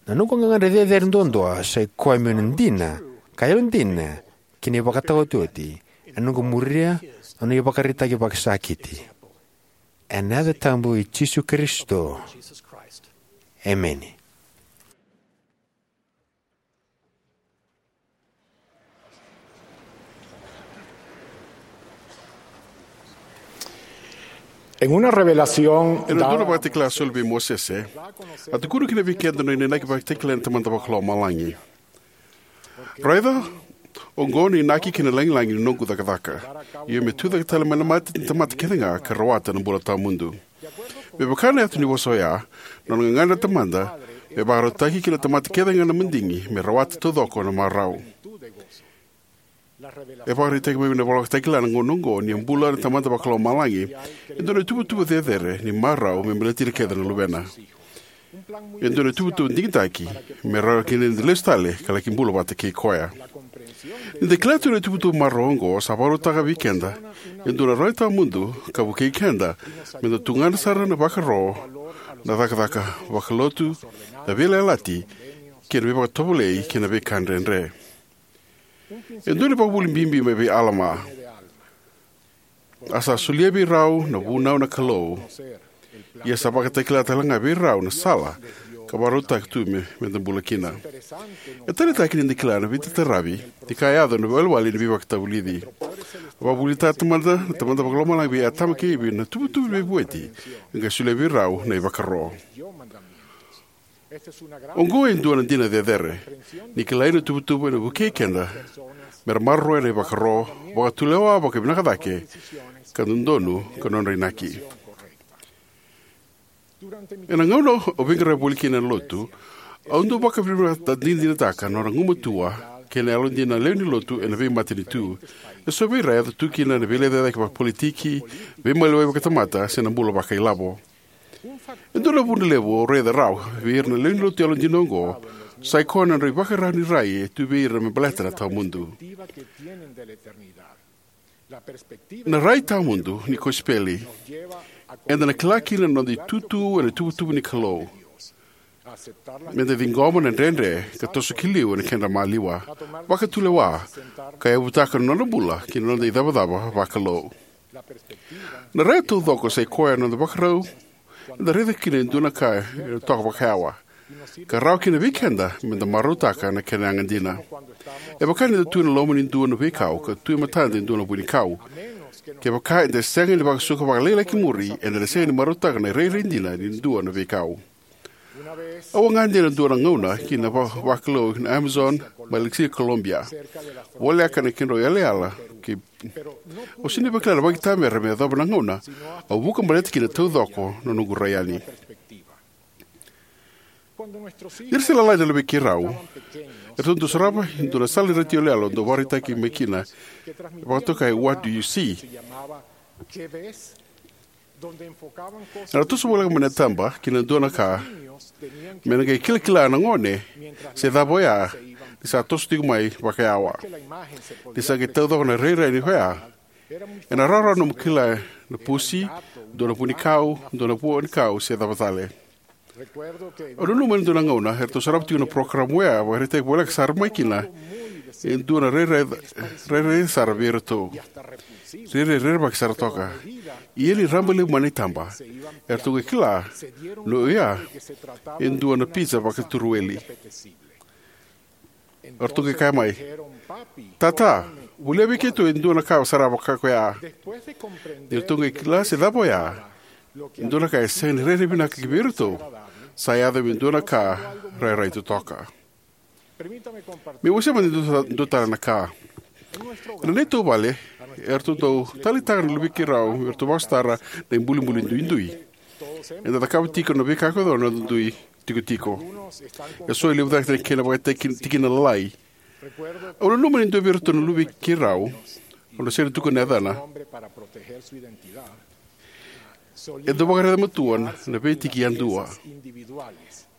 Na noqu gagadre cecere duadua sa i koya meu na dina ka yalodina ki na ivakataotioti, ena noqu muria na nona ivakaraitaki vakasakiti. Ena yaca tabu i Jisu Karisito. Emeni. En una revelación Ena dua na dada vakatakila a soli vei Mosese, a tukuna kina vei keda na nona inaki vakatakila na Tamada Vakalomalagi. Raica, oqo na inaki kei na lagilagi ni noqu cakacaka. Io, me tucake tale mai na mate na tamata kece ga ka rawata na bula tawamudu. Me vaka na yaca ni vosa oya, na nona gagadre na Tamada me vakarautaki ki na tamata kece ga na madigi me rawata taucoko na marau. E vakaraitaki mai na iVola Vakatakila na gauna oqo ni a bula na Tamada Vakalomalagi e dua na ituvatuva cecere ni marau me baleti ira kece na luvena. E dua na ituvatuva digitaki me rawa kina ni da lesu tale ka laki bula vata kei koya. Ni da kila tu na ituvatuva marau oqo, sa vakarautaka vei keda e dua na rai tawamudu ka vukei keda me da tugana sara na vakaro, na cakacaka vakalotu, na veiyalayalati, kei na veivakatovolei kei na veika dredre. E dua na ivakavuvuli bibi mai vei Alama. A sa solia vei rau na vunau na Kalou, ia sa vakatakila tale ga vei rau na sala ka vakarautaka tu me, me da bula kina. E taleitaki ni da kila na veitaravi ni ka e yaco ena iwalewale ni veivakatavulici. A vakavuvulitaka na Tamada, na Tamada Vakalomalagi vei Atama kei Ivi na tuvatuva ni veivueti ka qai solia vei rau na ivakaro. Oqo e dua na dina cecere ni kilai na tuvatuva ena vukei keda me ra maroroya na ivakaro, vakatulewa vakavinaka cake, ka dodonu ka nodra inaki. Ena gauna au veiqaravi voli kina ena lotu, au dau vakadinadinataka na nodra gumatua kei na yalodina na lewe ni lotu ena veimatanitu. Eso vei ira e yaco tu kina na veilecayaki vakapolitiki, veimaliwai vakatamata, se na bula vakailavo. E dua na vuna levu au raica rawa vei ira na lewe ni lotu yalodina oqo, sa i koya na nodra ivakarau ni rai e tu vei ira me baleta na tawamudu. Na rai tawamudu ni kosipeli eda na kila kina na noda itutu ena ituvatuva ni Kalou. Me da ciqoma na dredre ka toso ki liu ena kedra maliwa, vakatulewa, ka yavutaka na nodra bula ki na noda icavacava vakalou. Na rai taucoko sa i koya na noda vakarau eda raica kina e dua na ka e toka vakayawa, ka rawa kina vei keda me da marautaka na kena yaga dina. E vaka ni da tu ena loma ni dua na veikau ka tu e matada e dua na vunikau. Kevaka eda sega ni vakasuka vakalailai ki muri, eda na sega ni marautaka na irairai dina ni dua na veikau. Au a gade ena dua na gauna ki na va-, vakalou na Amazon mai British Columbia, voleka na kedrau yalayala kei Au sega ni vakila na vakaitamera me yacova na gauna au vuka baleta kina taucoko na noqu rai yani. Ni ra se lalai na luvei keirau, eratou dau sarava e dua na sala ni retio yaloyalo dau vakaraitaki mai kina, vakatokai What Do You See? Era toso voleka mai na taba ki na dua na ka me na qai kilakila na gone se cava oya ni sa toso tiko mai vakayawa. Ni sa qai taucoko na rairai ni oya, ena rawarawa nomu kila na pusi, dua na vunikau, dua na vunikau se cava tale. Au nanuma ena dua na gauna eratou sarava tiko na porokaramu oya, vakaraitaki voleka sara mai kina E dua na rairai, rairai sara vei iratou. Rairai rerevaki sara toka. Ia ni raba levu mai na itaba, eratou qai kila ni oya e dua na pizza vakaturuweli. Eratou qai kaya mai, "Tata, volia vei keitou e dua na ka sara vaka koya." Ni ratou qai kila se cava oya e dua na ka e sega ni rairai vinaka ki vei iratou, sa yaco me dua na ka rairai totoka. Meu wasea mada e dua, dua tale na ka. Ena neitou vale, eratou dau taleitaka na luvei keirau me ratou vakasotara na ibulibuli duidui. Eda cakava tiko na veika ko na dui tikotiko. E so e levu cake na kena vakatikina lalai. Au nanuma ni dua vei iratou na luvei keirau, au na sega ni tukuna na yacana, e dau vakaraica matua na veitiki yadua.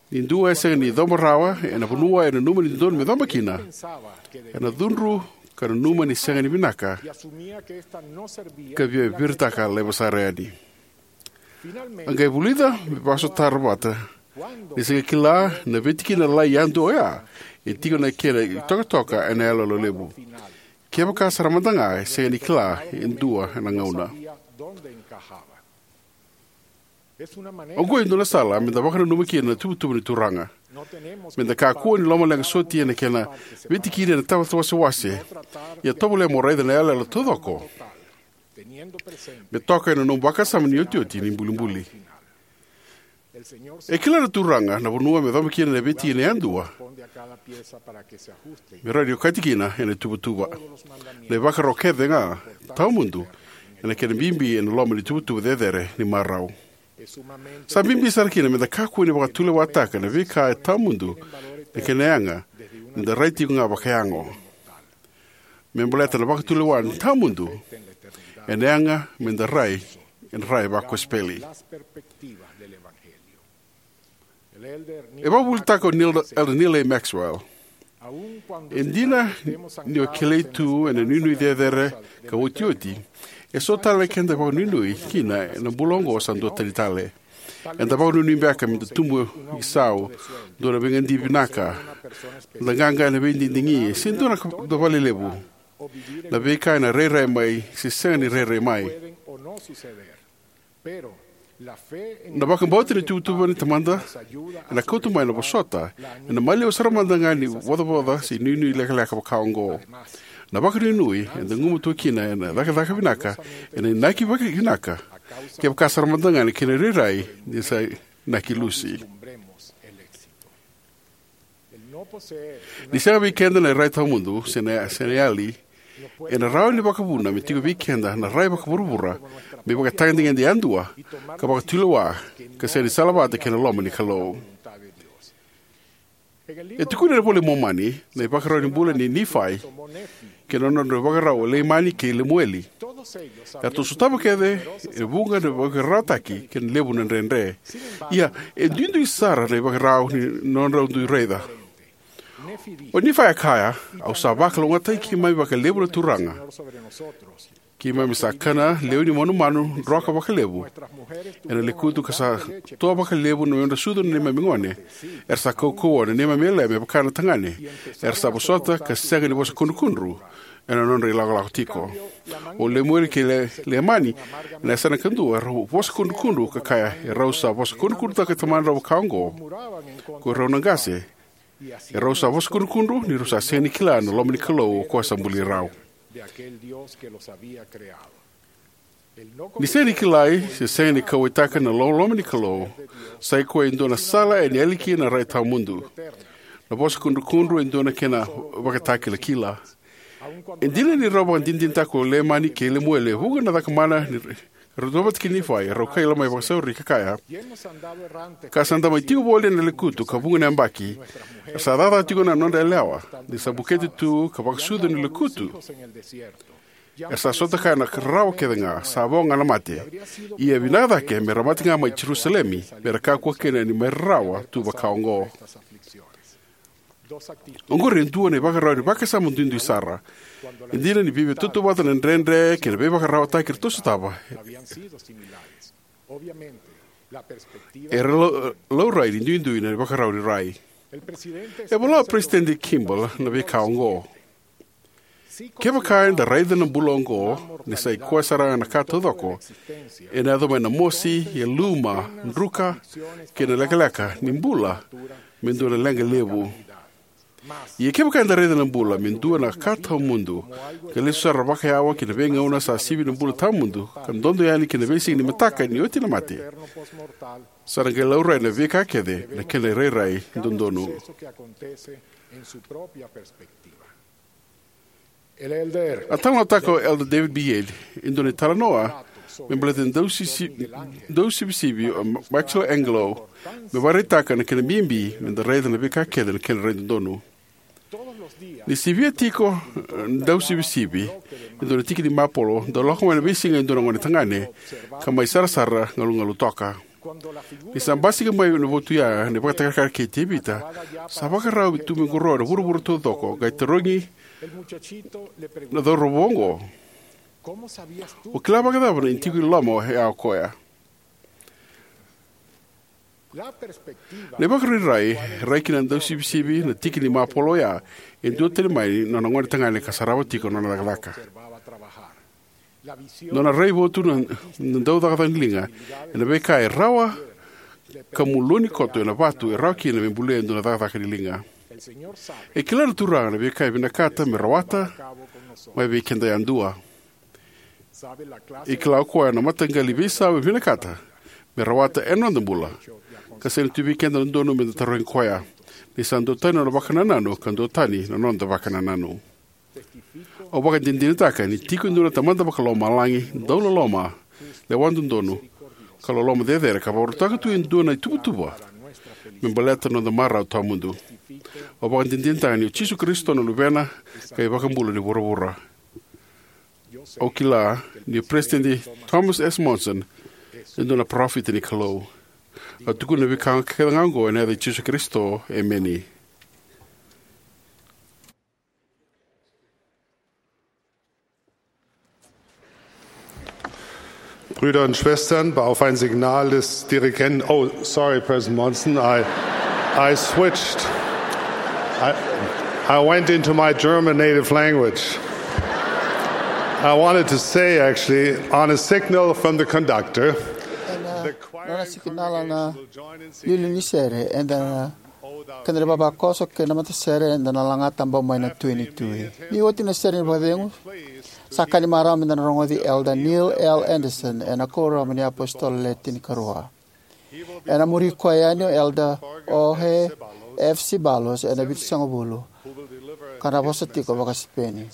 Ni dua e sega ni coba rawa ena vanua e nanuma ni dodonu me coba kina, ena cudru ka nanuma ni sega ni vinaka, ka via viritaka laiva sara yani. A qai vulica me vakasotara vata ni sega kila na veitikina lalai yadua oya e tiko na kena itokatoka ena yaloyalo levu. Kevaka sara mada ga e sega ni kila e dua ena gauna. Oqo e dua na sala meda vakananuma kina na tuvatuva ni Turaga. Meda kakua ni lomaleqa soti ena kena veitikina ena tavata wasewase, ia tovolea mo raica na yaloyalo taucoko me toka ena nomu vakasama ni otioti ni bulibuli. E kila na Turaga na vanua me coba kina na veitikina yadua me rawa ni okati kina ena tuvatuva. Na ivakarau kece ga tawamudu ena kena bibi ena loma ni tuvatuva cecere ni marau. Sa bibi sara kina meda kakua ni vakatulewataka na veika e tawamudu na kena yaga nida rai tiko ga vakayago. Me baleta na vakatulewa ni tawamudu ena yaga meda rai ena rai vakosipeli. E vakavuvulitaka o Neil, Elder Neal A. Maxwell, e dina ni o kilai tu ena nuinui cecere ka otioti, e so tale na keda vakanuinui kina ena bula oqo sa dua tani tale. Eda vakanuinui beka meda tubu isau, dua na veigadi vinaka, da qaqa ena veididigi, se dua na ka, dua valelevu. Na veika ena rairai mai se sega ni rairai mai. Na vakabauta ni tuvatuva ni Tamada ena kauta mai na vosota ena maliwa sara mada ga ni ivocavoca se nuinui lekaleka vaka oqo. Na vakanuinui eda gumatua kina ena cakacaka vinaka, ena inaki vaka vinaka, kevaka sara mada ga na kena rairai ni sa inaki lusi. Ni sega vei keda na rai tawamudu se na, se na yali, ena rawa ni vakavuna me tiko vei keda na rai vakavuravura me ivakatagedegede yadua ka vakatulewa, ka sega ni salavata kei na loma ni Kalou. E tukuni ena iVola i Momani na ivakarau ni bula nei Nifai kei na nodra ivakarau o Leimani kei Lemueli. Eratou sotava kece e vuqa na veivakararawataki kei na levu na dredre. Ia, e duidui sara na ivakarau ni nodrau dui raica. O Nifai a kaya, "Au sa vakalougatataki keimami vakalevu na Turaga. Keimami sa kana lewe ni manumanu droka vakalevu ena lekutu, ka sa toa vakalevu na nodra sucu na neimami gone. Era sa kaukauwa na neimami yalewa me vaka na tagane. Era sa vosota ka sega ni vosa kudrukudru ena nodra ilakolako tiko." O Lemueli kei Le-, Leimani, ena yasana kadua, erau vosa kudrukudru ka kaya, "Erau sa vosa kudrukudrutaka tamadrau vaka oqo ko irau na qase. Erau sa vosa kudrukudru ni rau sa sega ni kila na loma ni Kalou o koya sa buli rau." Ni sega ni kilai se sega ni kauwaitaka na loloma ni Kalou sa i koya e dua na sala ena yali kina na rai tawamudu. Na vosa kudrukudru e dua na kena vakatakilakila. E dina ni rau vakadinadinataka o Leimani kei Lemueli e vuqa na cakamana ni rau tu vata kei Nifai, rau kaila mai vakasauri ka kaya, "Ka sa da mai tiko voli ena lekutu ka vuqa na yabaki, era sa cakacaka tiko na nodra yalewa, ni sa bukete tu ka vakasucu ena lekutu. Era sa sota kaya na rarawa kece ga, sa vo ga na mate. Ia vinaka cake me ra mate ga mai Jerusalemi, me ra kakua kina ni mai rarawa tu vaka oqo." Oqori e dua na ivakarau ni vakasama duidui sara. E dina ni veivakatautauvata na dredre kei na veivakararawataki eratou sotava, era lau-, laurai ni duidui na ivakarau ni rai. E vola o Peresitedi Kimball na veika oqo. Kevaka eda raica na bula oqo ni sa i koya sara ga na ka taucoko, ena yaco mai na mosi, yaluma, druka, kei na lekaleka ni bula me dua na leqa levu. Ia kevaka eda raica na bula me dua na ka tawamudu, ka lesu sara vakayawa ki na veigauna sa sivi na bula tawamudu, ka dodo yani ki na veisiga ni mataka ni oti na mate, sa na qai laurai na veika kece na kena irairai dodonu. A talanoataka o Elder David B. Yealy e dua na italanoa me baleta na dausisi-, dausivisivi o Ma-, Michelangelo, me vakaraitaka na kena bibi me da raica na veika kece na kena rai dodonu. Ni sivia tiko, eh, dausivisivi e dua na tiki ni mapolo, dau lako mai na veisiga e dua na gone tagane, ka mai sarasara galugalu toka. Ni sa basika mai na votu ya na ivakatakilakila kei Tevita, sa vakarau me tu me qoroya na vuravura taucoko, qai tarogi na cauravou oqo, "O kila vakacava ni tiko i loma oya o koya?" Na ivakarairai, rai kina na dausivisivi na tiki ni mapolo oya, e dua tale mai na nona gone tagane ka sarava tiko na nona cakacaka. Nona raivotu na, na daucakacaka ni liga ena veika e rawa ka muluni koto ena vatu e rawa kina me bulia e dua na cakacaka ni liga. E kila na Turaga na veika e vinakata me rawata mai vei keda yadua. E kila o koya na mataqali veisau e vinakata me rawata ena noda bula, ka sega ni tu vei keda na dodonu me da tarogi koya, ni sa duatani na nona vakanananu ka duatani na noda vakanananu. Au vakadinadinataka ni tiko e dua na Tamada Vakalomalagi dauloloma, lewa dodonu, ka loloma cecere, ka vakarautaka tu e dua na ituvatuva me baleta na noda marau tawamudu. Au vakadinadinataka ni o Jisu Karisito na Luvena ka iVakabula ni vuravura. Au kila ni o Peresitedi Thomas S. Monson e dua na parofita ni Kalou. Au tukuna na veika kece ga oqo ena yaca i Jisu Karisito, emeni. Brüder und Schwestern, auf ein Signal des Dirigenten. Oh, sorry, President Monson, I, I switched. I, I went into my German native language. I wanted to say, actually, on a signal from the conductor, the choir congregation will join in singing. Ena nona sikinala na liuliu ni sere, eda na, keda na ivavakoso kei na matasere, eda na laga tabau mai na Tui ni Tui. Ni oti na sere ni vakacegu, sa ka ni marau meda na rogoci Elder Neil L. Andersen ena Kuoramu ni iApositolo Le Tinikarua. Ena muri koya yani o Elder Jorge F. Ceballos ena Vitusagavulu, ka na vosa tiko vakaSipeni.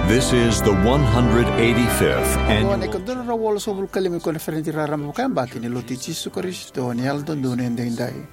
This is the one hundred eighty-fifth annual. Oqo na ika dua na drau walusagavulu ka lima ni koniferedi raraba vakayabaki ni Lotu i Jisu Karisito ni Yalododonu Edaidai.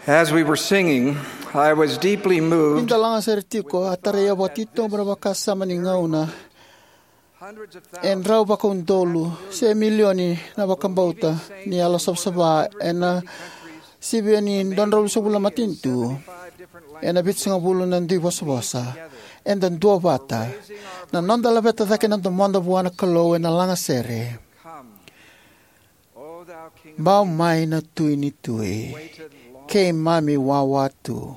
As we were singing, I was deeply moved. Ni da lagasere tiko, a tarai au vakatitobu na vakasama ni gauna e drau vakaudolu se milioni na vakabauta ni yalo savasava ena sivia ni dua na drau ruasagavulu na matanitu ena vitusagavulu na dui vosavosa. Eda duavata na noda laveta cake na domoda vua na Kalou ena lagasere. Bau mai na Tui ni tui, keimami wawa tu.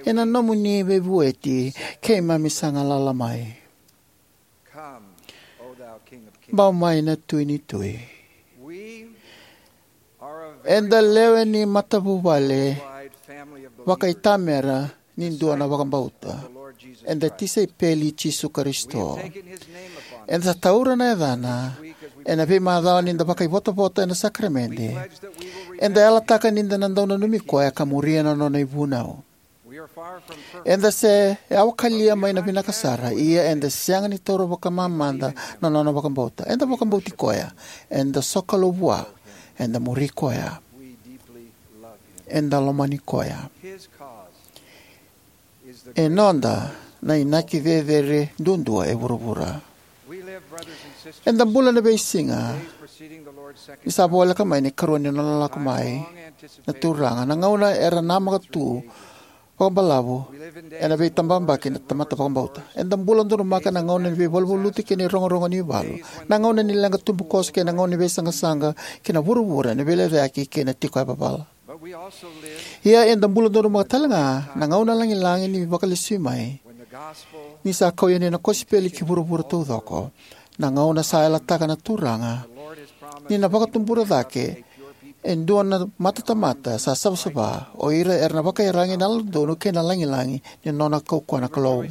Ena nomuni veivueti keimami sa galala mai. Bau mai na Tui ni tui. Eda lewe ni matavuvale vakaitamera ni dua na vakabauta. Eda tisaipeli i Jisu Karisito. Eda sa taura na yacana ena veimacawa ni da vakaivotavota ena sakaramede. Eda yalataka ni da na dau nanumi koya ka muria na nona ivunau. Eda se yawakalia mai na vinaka sara, ia eda sega ni taura vakamamada na nona vakabauta. Eda vakabauti koya, eda sokalou vua, eda muri koya, eda lomani koya. E noda na inaki cecere duadua e vuravura. Eda bula na veisiga ni sa voleka mai na ikarua ni nona lako mai na Turaga, na gauna era namaka tu vakabalavu ena veitababaki na tamata vakabauta. Eda bula donumaka na gauna ni veivaluvaluti kei na irogorogo ni valu, na gauna ni leqa tubukoso kei na gauna ni veisaqasaqa ki na vuravura ni veilecayaki kei na tiko yavavala. Ia eda bula donumaka talega na gauna lagilagi ni Vakalesui mai, ni sa kau yani na kosipeli ki vuravura taucoko, na gauna sa yalataka na Turaga ni na vakatubura cake e dua na matatamata sa savasava, o ira era na vakaiyaragi na yalododonu kei na lagilagi ni nona kaukauwa na Kalou.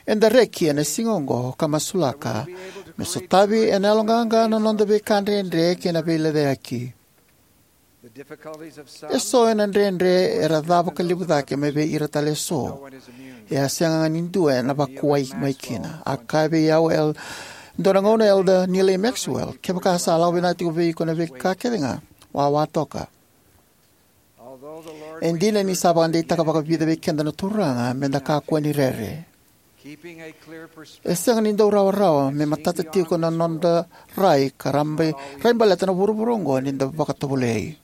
Eda reki ena siga oqo ka masulaka me sotavi ena yaloqaqa na noda veika dredre kei na veilecayaki. Eso ena dredre era ca vakalevu cake mai vei ira tale eso. E a sega ga ni dua ena vakuwai mai kina. A kaya vei au e dua na gauna o Elder Neal A. Maxwell, kevaka sa lako vinaka tiko vei iko na veika kece ga, wawa toka. E dina ni sa vakadeitaka vakavica vei keda na Turaga me da kakua ni rere, e sega ni dau rawarawa me matata tiko na noda rai ka rabai, rai baleta na vuravura oqo ni da vakatovolei.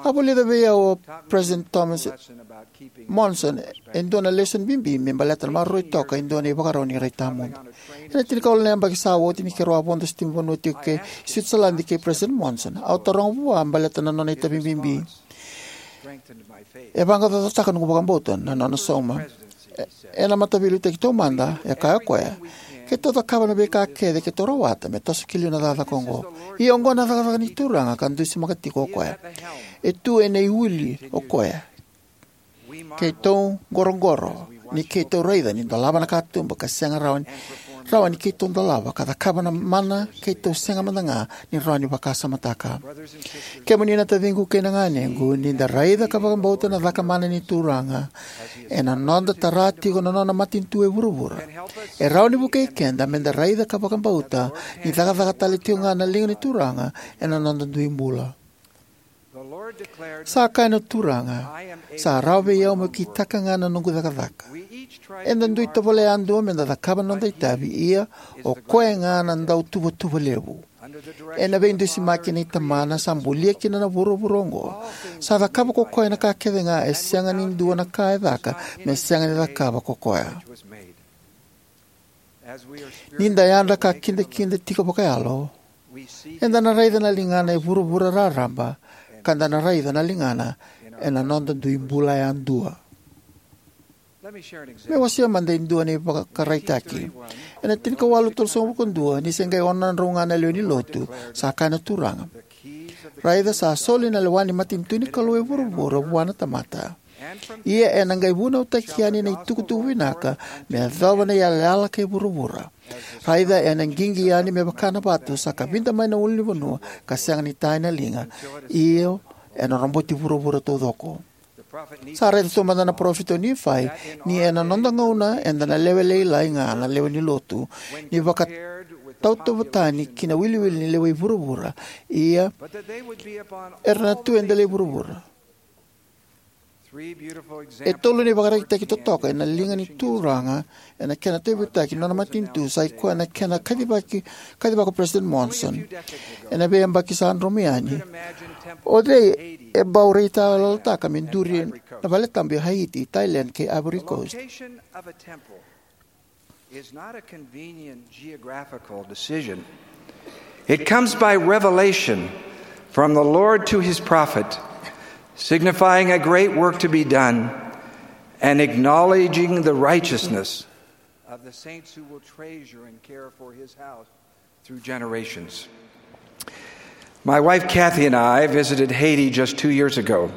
A vulica vei au o President Thomas Monson e dua na lesoni bibi me baleta na maroroi toka e dua na ivakarau ni rai tawamudu. Ena tinikawalu na yabaki sa oti ni keirau a vodo sitimanivanua tiko ki Switzerland kei President Monson, au taroga vua baleta na nona itavi bibi. E vaqaqacotaka noqu vakabauta na nona sauma. E, ena mataveiliutaki taumada, e kaya o koya, keitou cakava na veika kece keitou rawata me toso ki liu na cakacaka oqo. Ia oqo na cakacaka ni Turaga ka dusimaka tiko o koya. E tu ena iwili o koya. Keitou qoroqoro ni keitou raica ni dolava na katuba ka sega rawa ni, rawa ni keitou dolava, ka cakava na mana keitou sega mada ga ni rawa ni vakasamataka. Kemuni na taciqu kei na ganequ, ni da raica ka vakabauta na caka mana ni Turaga ena noda tara tiko na nona matanitu e vuravura, e rawa ni vukei keda me da raica ka vakabauta ni cakacaka tale tiko ga na liga ni Turaga ena noda dui bula. Sa kaya na Turaga, sa rawa vei au meu kitaka ga na noqu cakacaka. Eda dui tovolea yadua me da cakava na noda itavi, ia o koya ga na dautuvatuva levu. Ena veidusimaki nei Tamana sa bulia kina na vuravura oqo, sa cakava ko koya na ka kece ga e sega ni dua na ka e caka me sega ni cakava ko koya. Ni da yadra ka kidakida tiko vakayalo, eda na raica na ligana e vuravura raraba, ka da na raica na ligana ena noda dui bula yadua. Me wasea mada e dua na ivakaraitaki. Ena tinikawalu tolusagavulu ka dua, ni se qai ono na drau ga na lewe ni lotu, sa kaya na Turaga, raica, sa soli na lewa ni matanitu ni Kalou e vuravura vua na tamata. Ia ena qai vunautaki yani na itukutuku vinaka me yacova na iyalayala kei vuravura. Raica, ena qiqi yani me vaka na vatu sa kavida mai na ulunivanua ka sega ni ta ena liga, io, ena roboti vuravura taucoko. Sa raica taumada na parofita o Nifai ni ena noda gauna eda na lewe lailai ga na lewe ni lotu, ni vaka tautauvata tani ki na iwiliwili ni lewe i vuravura, ia era na tu e dela i vuravura. E tolu na ivakaraitaki totoka ena liga ni Turaga ena kena tauyavutaki na nona matanitu sa ikoya na kena kacivaki, kacivaka o President Monson ena veiyabaki sa dromu yani. O cei e bau raitayaloyalotaka me duri na valetabu e Haiti, Thailand kei Ivory Coast? Is not a convenient geographical decision. It comes by revelation from the Lord to his prophet, signifying a great work to be done and acknowledging the righteousness of the saints who will treasure and care for his house through generations. My wife Kathy and I visited Haiti just two years ago.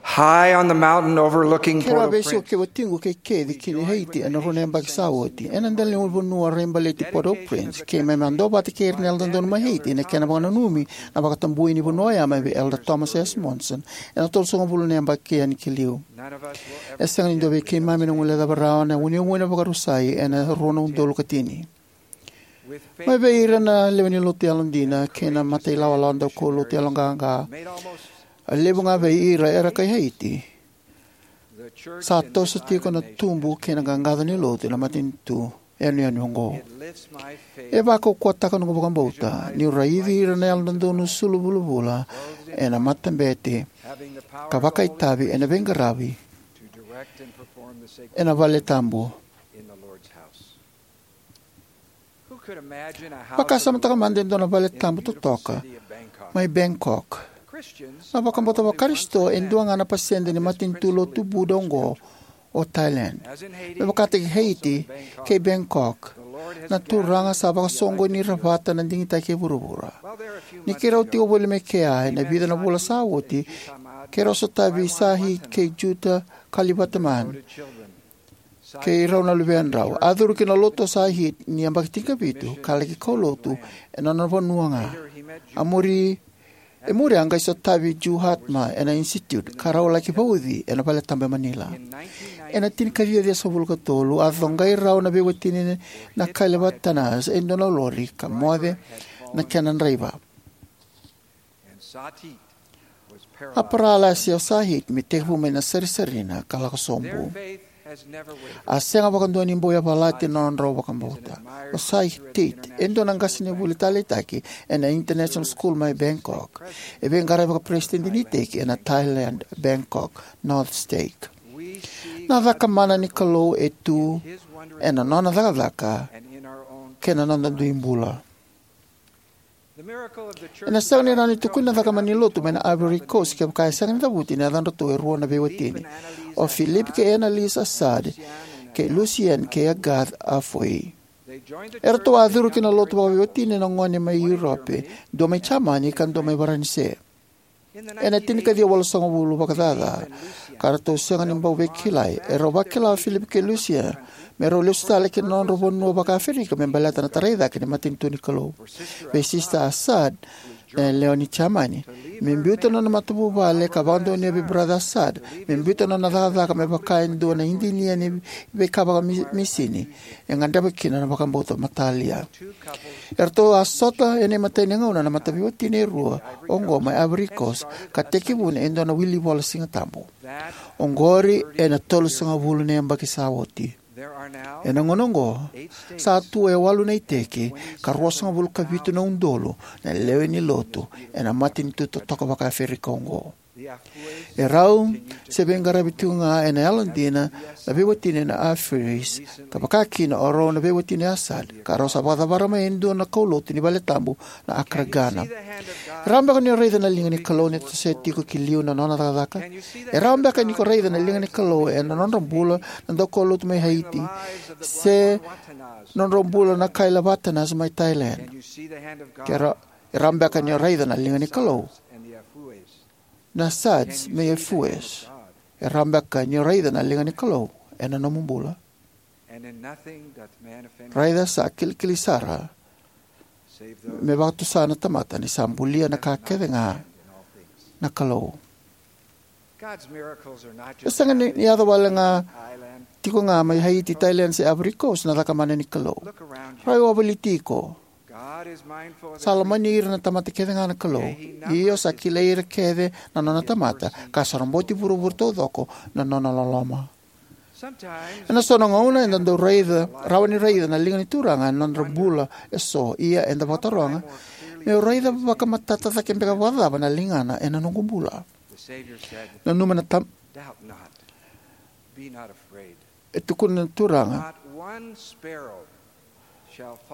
High on the mountain overlooking Keirau Port-au-Prince, veisiko kei watiqu kei Kathy ki Haiti ena rua na yabaki sa oti. Ena dela ni vanua raibaleti Port-au-Prince, keimami a duavata kei ira na Yalododonu mai Haiti ena kena vakananumi na vakatabui ni vanua oya mai vei Elder Thomas S. Monson ena tolusagavulu na yabaki yani ki liu. E sega ni dua vei keimami na guilecava rawa na uneune vakarusai ena rua na udolu ka tini. Mai vei ira na lewe ni lotu yalodina kei na matailawalawa daukaulotu yaloqaqa, a levu ga vei ira era kai Haiti, sa toso tiko na tubu kei na qaqaco ni lotu ena matanitu yanuyanu oqo. E vakaukauwataka noqu vakabauta niu raici ira na Yalododonu sulu vulavula ena matabete ka vakaitavi ena veiqaravi ena valetabu. Vakasamataka mada e dua na valetabu totoka mai Bangkok. Na vakabauta Vakarisito e dua ga na pasede ni matanitu lotu Buddha oqo o Thailand. Me vakataki Haiti kei Bangkok, na Turaga sa vakasoqoni ira vata na digitaki e vuravura. Ni keirau tiko voli mai kea ena vica na vula sa oti, keirau sotavi Sahit kei Juta Kalivataman kei rau na luvedrau. A curu ki na lotu o Sahit ni yabaki tinikavitu ka laki kaulotu ena nona vanua ga. A muri, e muri a qai sotavi Juhatma ena Institute ka rau laki vauci ena valetabu e Manila. Ena tinikaciwa ciwasagavulu ka tolu a coqai rau na veiwatini na Kailavattanas e dua na lori ka moce na kena draiva. A paralasi o Sahit me tekivu mai na sarisarina ka lako sobu. A sega vakadua ni bau yavalati na nodrau vakabauta. O Sahit e dua na qasenivuli taleitaki ena International School mai Bangkok. E veiqaravi vakaperesitedi ni iteki ena Thailand Bangkok North Stake. Na cakamana ni Kalou e tu ena nona cakacaka kei na noda dui bula. Ena sega ni rawa ni tukuni na cakamana ni lotu mai na Ivory Coast kevaka e sega ni cavuti na yacadratou e rua na veiwatini, o Philippe kei Anneliese Assad kei Lucien kei Agathe Afoué. Eratou a curu ki na lotu vakaveiwatini na gone mai Europe, dua mai Jamani ka dua mai Varanise. Ena tinikaciwa walusagavulu vakacaca, ka ratou sega ni bau veikilai, erau vakila o Philippe kei Lucien me rau lesu tale ki na nodrau vanua vakaAferika me baleta na tarai cake ni matanitu ni Kalou. Vei Sister Assad, na yalewa ni Jamani, me biuta na nona matavuvale ka vakadonuya vei Brother Assad me biuta na nona cakacaka me vaka e dua na idinia ni veika vakamisini, e gadreva kina na vakabauta matalia. Eratou a sota ena imatai ni gauna na mataveiwatini e rua oqo mai Ivory Coast ka tekivuna e dua na wilivola Sigatabu. Oqori ena tolusagavulu na yabaki sa oti. Ena gauna oqo, sa tu e walu na iteki ka ruasagavulu ka vitu na udolu na lewe ni lotu ena matanitu totoka vakaAferika oqo. E rau se veiqaravi tiko ga ena yalodina na veiwatini na Afoués, ka vaka kina o rau na veiwatini Assad, ka rau sa vakacavara mai e dua na kaulotu ni valetabu na Accra Ghana. E rawa beka ni o raica na liga ni Kalou ni toso tiko ki liu na nona cakacaka? E rawa beka ni ko raica na liga ni Kalou ena nodra bula na daukaulotu mai Haiti, se nodrau bula na Kailavattanas mai Thailand? Ke ra-, e rawa beka ni o raica na liga ni Kalou na Assads mai Afoués? E rawa beka ni o raica na liga ni Kalou ena nomu bula? Raica sa kilikili sara me vakatusa na tamata ni sa bulia na ka kece ga na Kalou. E sega ni, ni yaco wale ga tiko ga mai Haiti, Thailand se Ivory Coast na cakamana ni Kalou. Rai wavoli tiko. Sa lomani ira na tamata kece ga na Kalou, io sa kilai ira kece na nona tamata, ka sa roboti vuravura taucoko na nona loloma. Ena so na gauna eda dau raica, rawa ni raica na liga ni Turaga ena nodra bula eso, ia eda vakataroga, meu raica vakamatata cake beka vakacava na ligana ena noqu bula? Nanuma na tam-, e tukuna na Turaga,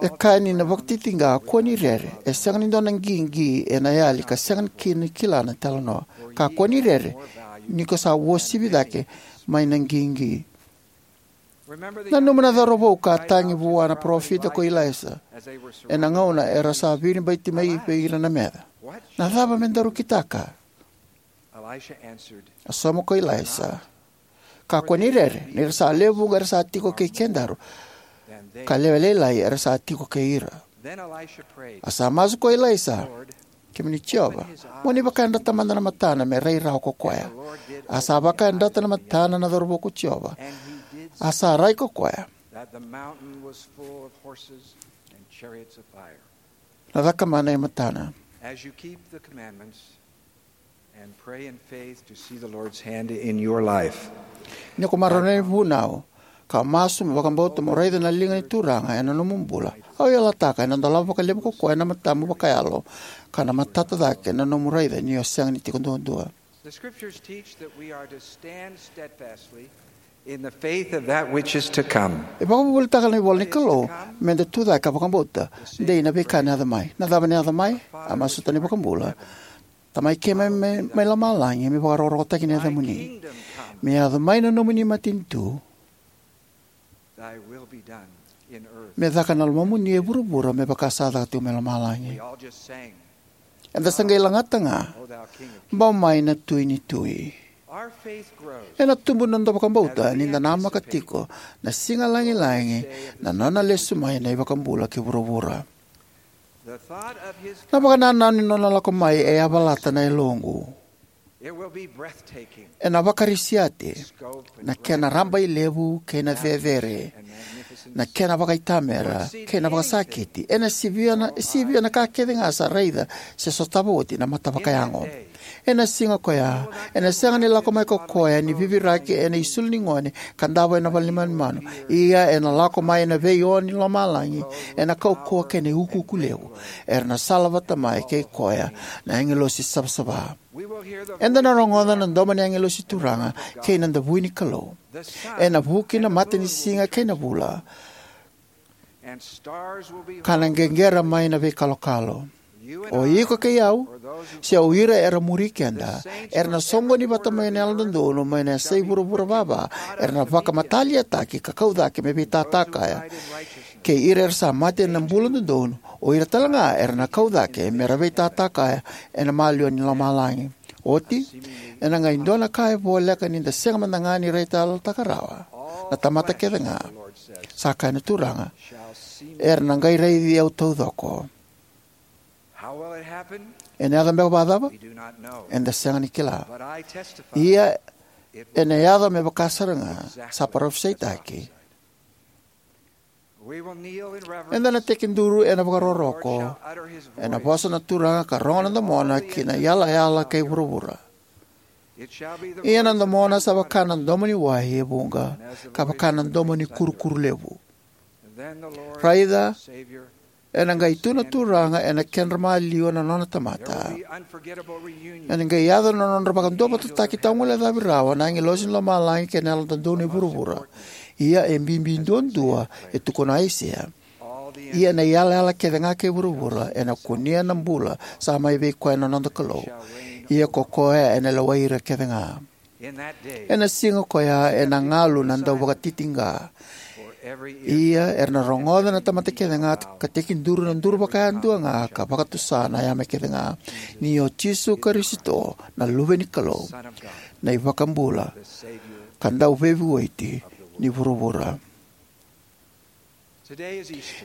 e kaya ni na vakatitiqa, kua ni rere, e sega ni dua na qiqi ena yali ka sega kina ni kila na italanoa. Ka kua ni rere, ni ko sa uasivi cake mai na qiqi. Nanuma na cauravou ka a tagi vua na parofita ko Ilaisa, ena gauna era sa viribaiti mai vei ira na meca. Na cava me daru kitaka? A sauma ko Ilaisa, kakua ni rere, ni ra sa lewe vuqa era sa tiko kei kedaru, ka lewe lailai era sa tiko kei ira. A sa masu ko Ilaisa, kemuni Jiova, mo ni vakayadrata mada na matana me rai rawa ko koya. A sa vakayadrata na matana na cauravou ko Jiova. A sa rai ko koya. Na cakamana e matana. And pray in faith to see the Lord's hand in your life. Ni ko marau na vunau, ka masu mo vakabauta mo raica na liga ni Turaga ena nomu bula. Au yalataka ena dolava vakalevu ko koya na matamu vakayalo, ka na matata cake na nomu raica ni o sega ni tiko duadua. The scriptures teach that we are to stand steadfastly in the faith of that which is to come. E vakavuvulitaka na ivola ni Kalou, meda tu cake ka vakabauta, dei na veika na yaco mai. Na cava na yaco mai? A masuta na iVakabula. Tamai keimami mai, mai lomalagi, me vakarokorokotaki na yacamuni. Me yaco mai na nomuni matanitu. Me caka na lomamuni e vuravura me vaka sa caka tiko mai lomalagi. Eda sa qai lagata ga, bau mai na Tui ni tui. Ena tubu na noda vakabauta ni da namaka tiko na siga lagilagi, na nona lesu mai na iVakabula ki vuravura. Na vakanananu ni nona lako mai e yavalata na yaloqu. Ena vakarisiati na kena rabailevu kei na cecere, na kena vakaitamera kei na vakasakiti. Ena sivia na, sivia na ka kece ga sa raica se sotava oti na mata vakayago. Ena siga koya, ena sega ni lako mai ko koya ni viviraki ena isulu ni gone ka davo ena vale ni manumanu. Ia ena lako mai ena veione ni lomalagi, ena kaukauwa kei na iukuuku levu. Era na sala vata mai kei koya na agilosi savasava. Eda na rogoca na domo ni agilosi turaga kei na davui ni Kalou. Ena vuki na mata ni siga kei na vula, ka na qeqera mai na veikalokalo. O iko kei au, se o ira era muri keda, era na soqoni vata mai na yalododonu mai na yasai vuravura vava, era na vakamataliataki ka kau cake me veitata kaya. Kei ira era sa mate ena bula dodonu, o ira tale ga era na kau cake me ra veitata kaya ena maliwa ni lomalagi. Oti, ena qai dua na ka e voleka ni da sega mada ga ni raitayalotaka rawa. Na tamata kece ga, sa kaya na Turaga, era na qai raici au taucoko. Ena yaco beka vakacava? Eda sega ni kila. Ia ena yaco me vaka sara ga sa parofisaitaki. Eda na tekiduru ena vakarokoroko ena vosa na Turaga ka rogo na domona ki na iyalayala kei vuravura. Ia na domona sa vaka na domo ni wai e vuqa, ka vaka na domo ni kurukuru levu. Raica, ena qai tu na Turaga ena kedra maliwa na nona tamata. Ena qai yaco na nodra vakaduavatataki tauguilecavi rawa na agilosi ni lomalagi kei na yalododonu e vuravura. Ia e bibi duadua, e tukuna o Aisea. Ia na iyalayala kece ga kei vuravura ena kunea na bula sa mai vei koya na noda Kalou. Ia ko koya ena lewai ira kece ga. Ena siga koya ena galu na dauvakatitiqa. Ia era na rogoca na tamata kece ga ka tekiduru na duru vakayadua ga ka vakatusa na yame kece ga, ni o Jisu Karisito na Luve ni Kalou, na iVakabula ka Dauveivueti ni vuravura.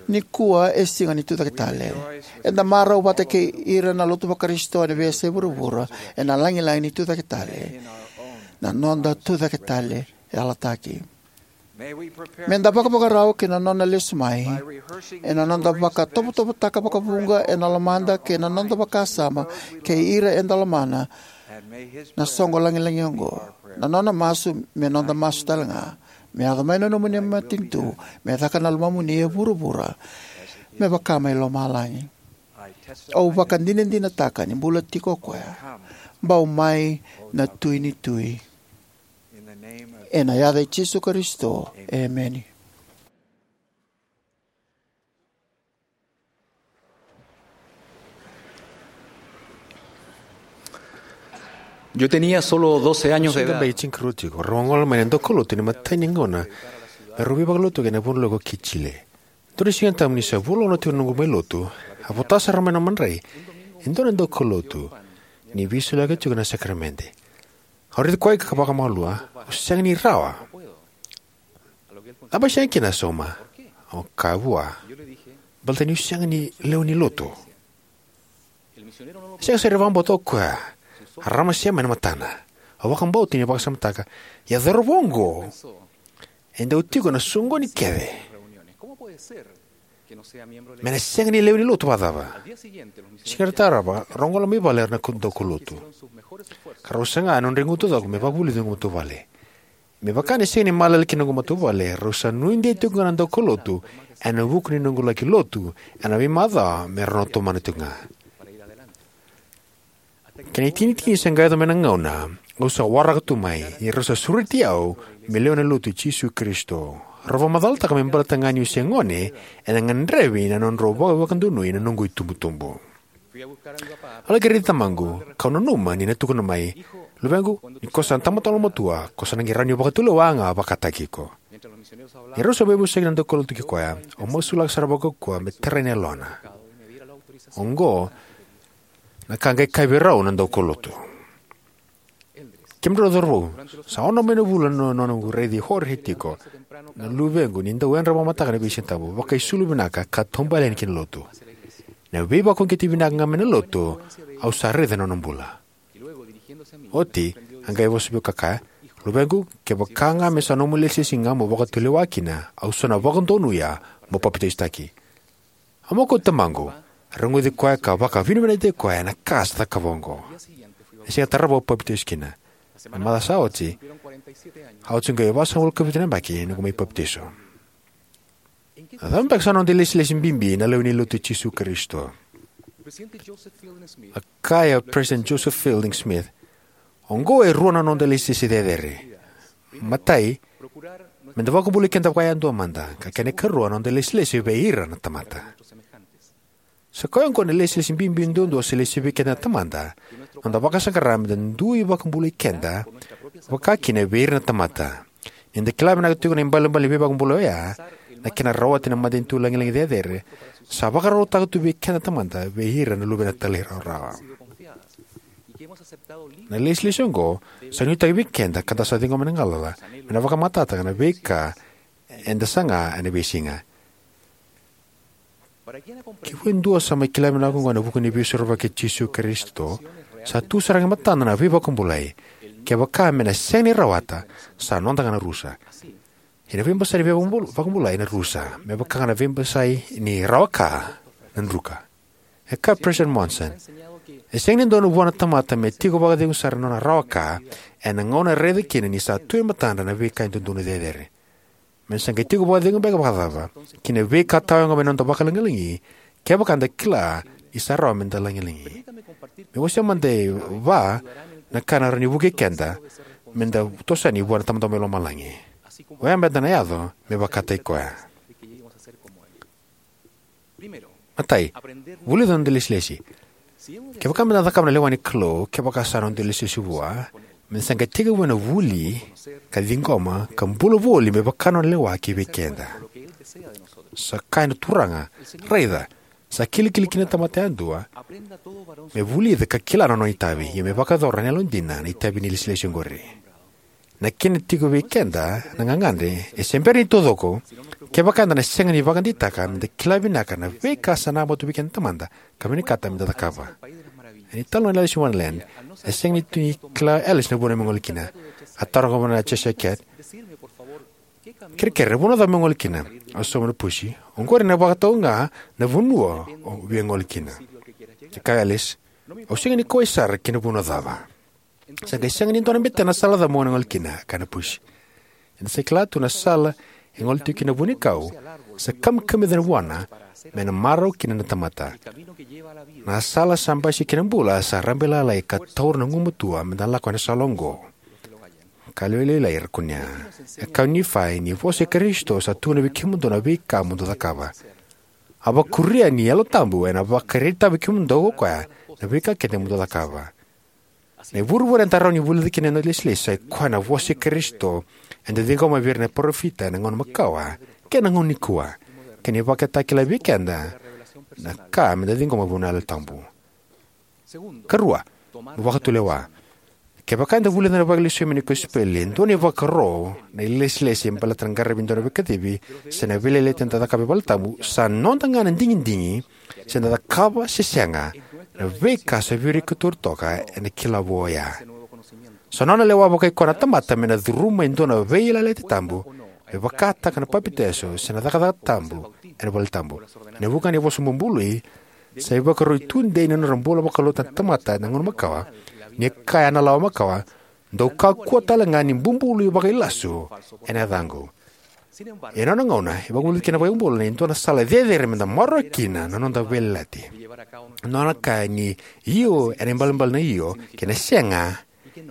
Nikua e siga ni Tucake Tale. Eda marau vata kei ira na lotu vaKarisito ena veiyasai vuravura ena lagilagi ni Tucake Tale. Na noda Tucake Tale yalataki. Me da vakavakarau ki na nona lesu mai ena noda vakatovotovotaka vakavuqa ena lomada kei na noda vakasama kei ira eda lomana na soqo lagilagi oqo. Na nona masu me noda masu talega: Me yaco mai na nomuni matanitu, me caka na lomamuni e vuravura me vaka mai lomalagi. Au vakadinadinataka ni bula tiko o koya. Bau mai na Tui ni tui. Ena yaca i Jisu Karisito, emeni. Yo tenía solo doce años de edad. Sega bai tinikarua tiko, rau a gole mai na daukaulotu ena imatai ni gauna me rau veivakalotu ena vanua lako ki Chile. Dua na Siga Tabu ni sa vula ono tiko na noqu mai lotu, a vota sara mai na madrai e dua na daukaulotu ni veisoliyaka tiko na sakaramede. Au raici koya ka vakamalua, au sega ni rawa. Cava e sega kina, a sauma? Au kaya vua, baleta niu sega ni lewe ni lotu. Sega sara ni vakabauta o koya. A raramasea mai na matana. Au vakabauta ni vakasamataka, ia cauravou oqo e dau tiko ena soqoni kece, me na sega ni lewe ni lotu vakacava? Siga tarava rau gole mai vale na daukaulotu, ka rau saga na nodra igu taucoko me vakavulici na noqu matavuvale. Me vaka ni sega ni malele kina na noqu matavuvale, rau sa nuidei tiko ga na daukaulotu ena vuku ni noqu laki lotu ena veimacawa me rau na tomana tiko ga. Kena itinitini sa qai yaco mai na gauna au sa waraka tu mai, ni rau sa sureti au me lewe ni Lotu i Jisu Karisito. Rau vakamacalataka me baleta ga niu se gone, ena gadrevi na nodrau vakavakadonui na noqu itubutubu. Au laki raici tamaqu, kau nanuma ni na tukuna mai, "Luvequ, ni ko sa tamata yalomatua, ko sa na qai rawa ni vakatulewa ga vakataki iko." Ni rau sa veivosaki na daukaulotu kei koya, au masulaka sara vakaukauwa me tarai na yalona. Oqo na ka qai kaya vei rau na daukaulotu: "Kemudrau cauravou, sa ono mai na vula na noqu raici Jorge tiko, na luvequ, ni dau yadra vakamataka na veisiga tabu, vakaisulu vinaka ka taubale yani ki na lotu. Na veivakauqeti vinaka ga mai na lotu au sa raica ena nona bula." Oti a qai vosa vei au ka kaya, "Luvequ, kevaka ga me sa nomu ilesilesi ga mo vakatulewa kina, au sa na vakadonuya mo papitaisotaki." Au mokoti tamaqu, a rogoci koya ka vakavinavinakataki koya ena ka sa cakava oqo. Na siga tarava au papitaiso kina. Na macawa sa oti, a oti qai vasagavulu ka vitu na yabaki noqu mai papitaiso. A cava beka sa noda ilesilesi bibi na lewe ni Lotu i Jisu Karisito? A kaya o President Joseph Fielding Smith, "Oqo e rua na noda ilesilesi cecere. Matai, me da vakabulai keda vakayadua mada, ka kena ikarua, na noda ilesilesi vei ira na tamata." Sa koya oqo na ilesilesi bibi duadua sa lesi vei keda na Tamada, noda vakasaqara me da dui vakabulai keda vakakina vei ira na tamata. Ni da kila vinaka tiko na ibalebale ni veivakabulai oya, na kena rawati na matanitu lagilagi cecere, sa vakarautaka tu vei keda na Tamada vei ira na luvena talairawarawa. Na ilesilesi oqo sa nuitaki vei keda ka da sa ciqoma na galala me na vakamatatataka na veika eda saga ena veisiga. Kivei dua sa mai kila vinaka oqo ena vuku ni Veisorovaki i Jisu Karisito, sa tu sara ga e matada na veivakabulai. Kevaka me na sega ni rawata, sa noda ga na rusa. Ia na veibasai ni veivakabul-, vakabulai na rusa, me vaka ga na veibasai ni rawa ka na druka. E kaya o President Monson, e sega ni dodonu vua na tamata me tiko vakacegu sara na nona rawa ka ena gauna e raica kina ni sa tu e matadra na veika e dodonu cecere. Me sa qai tiko vakacegu beka vakacava ki na veika tawayago mai na noda vakalagilagi, kevaka da kila ni sa rawa me da lagilagi. Me wasea mada e va na ka ena rawa ni vukei keda me da toso yani vua na Tamada mai lomalagi. Oya me da na yaco me vakataki koya. Matai, vulica na noda ilesilesi. Kevaka me da cakava na lewa ni Kalou, kevaka sa noda ilesilesi vua, me da sa qai tekivu ena vuli, ka ciqoma, ka bula voli me vaka na nona lewa ki vei keda. Sa kaya na Turaga, raica, sa kilikili kina na tamata yadua, me vulica ka kila na nona itavi, ia me vakayacora ena yalodina na itavi ni ilesilesi oqori. Na kena tiko vei keda na gagadre e se bera ni taucoko, kevaka eda na sega ni vakadeitaka me da kila vinaka na veika sa namatu vei keda na Tamada ka vinakata me da cakava. Ena italanoa nei Alice in Wonderland, e sega ni tu ni kila o Alice na vanua me gole kina. A taroga vua na Cheshire Cat, Kerekere, na vanua cava mo gole kina? Au sauma na pusi. Oqori ena vakatau ga na vanua o via gole kina. E kaya o Alice, au sega ni kauwai sara ki na vanua cava. Sa qai sega ni dua na betena na sala cava mo na gole kina, kaya na pusi. Eda sa kila tu na sala e gole tiko kina na vuanikau, sa kamikamica na vuana, me na marau kina na tamata. Na sala sa basika kina bula sa rabailalai ka taura na gumatua me da lako ena sala oqo. Ka lewe lailai era kunea. E kaya o Nifai ni vosa i Karisito sa tukuna vei kemudou na veika mo dou cakava. A vakuria ni Yalo Tabu ena vakaraitaka vei kemudou ko koya na veika kece mo dou cakava. Na ivurevure eda rawa ni vulica kina na lesilesi sa i koya na vosa i Karisito eda ciqoma vei ira na parofita ena gauna makawa kei na gauna nikua, kei na ivakatakila vei keda na ka me da ciqoma vua na Yalo Tabu. Karua, mo vakatulewa. Kevaka eda vulica na vakalesui mai na kosipeli, e dua na ivakaro na ilesilesi baleta na qaravi dua na veikacivi se na veiyalayalati eda cakava e valetabu, sa noda ga na digidigi se da cakava se sega na veika sa via rui kotori toka ena kila vou oya. Sa nona lewa vakaikoya na tamata me na curuma e dua na veiyalayalati tabu, me vakataka na papitaiso se na cakacaka tabu ena valetabu. Ena vuqa ni vosa bubului, sa ivakarau tudei ni nodra bula vakalotu na tamata ena gauna makawa, ni kaya na lawa makawa, dou kakua tale ga ni bubului vakailasu ena yacaqu. Ia ena nona gauna, e vakavulica kina na iVakabula ni dua na sala cecere me da maroroya kina na noda veiyalayalati. Nona kaya ni io ena ibalebale na io, kei na sega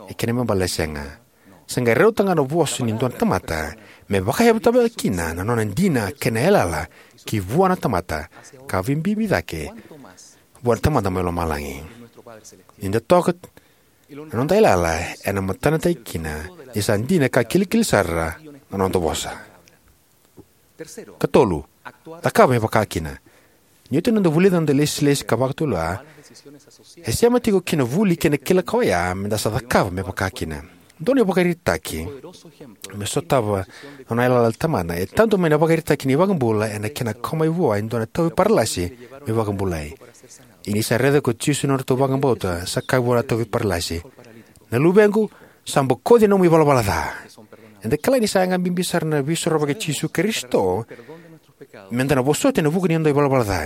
e kena ibalebale na sega. Sa qai rauta ga na vosa ni dua na tamata me vakayavutaka kina na nona dina kei na yalayala ki vua na tamata, ka vakabibi cake vua na Tamada mai lomalagi. Ni da toka na noda yalayala ena matanataki kina ni sa dina ka kilikili sara na noda vosa. Katolu, cakava me vaka kina. Ni oti na noda vulica na noda lesilesi ka vakatulewa, e sema tiko ki na vuli kei na kila ka oya me da sa cakava me vaka kina. Dua na ivakaraitaki me sotava na nona yalayala na Tamada e tadu mai na ivakaraitaki ni iVakabula ena kena kau mai vua e dua na tauvi paralasi me vakabulai. Ia ni sa raica ko Jisu na nodratou vakabauta, sa kaya vua na tauvi paralasi, na luvequ, sa bokoci na nomu ivalavala ca. Eda kila ni sa yaga bibi sara na Veisorovaki i Jisu Karisito me da na vosoti ena vuku ni noda ivalavala ca.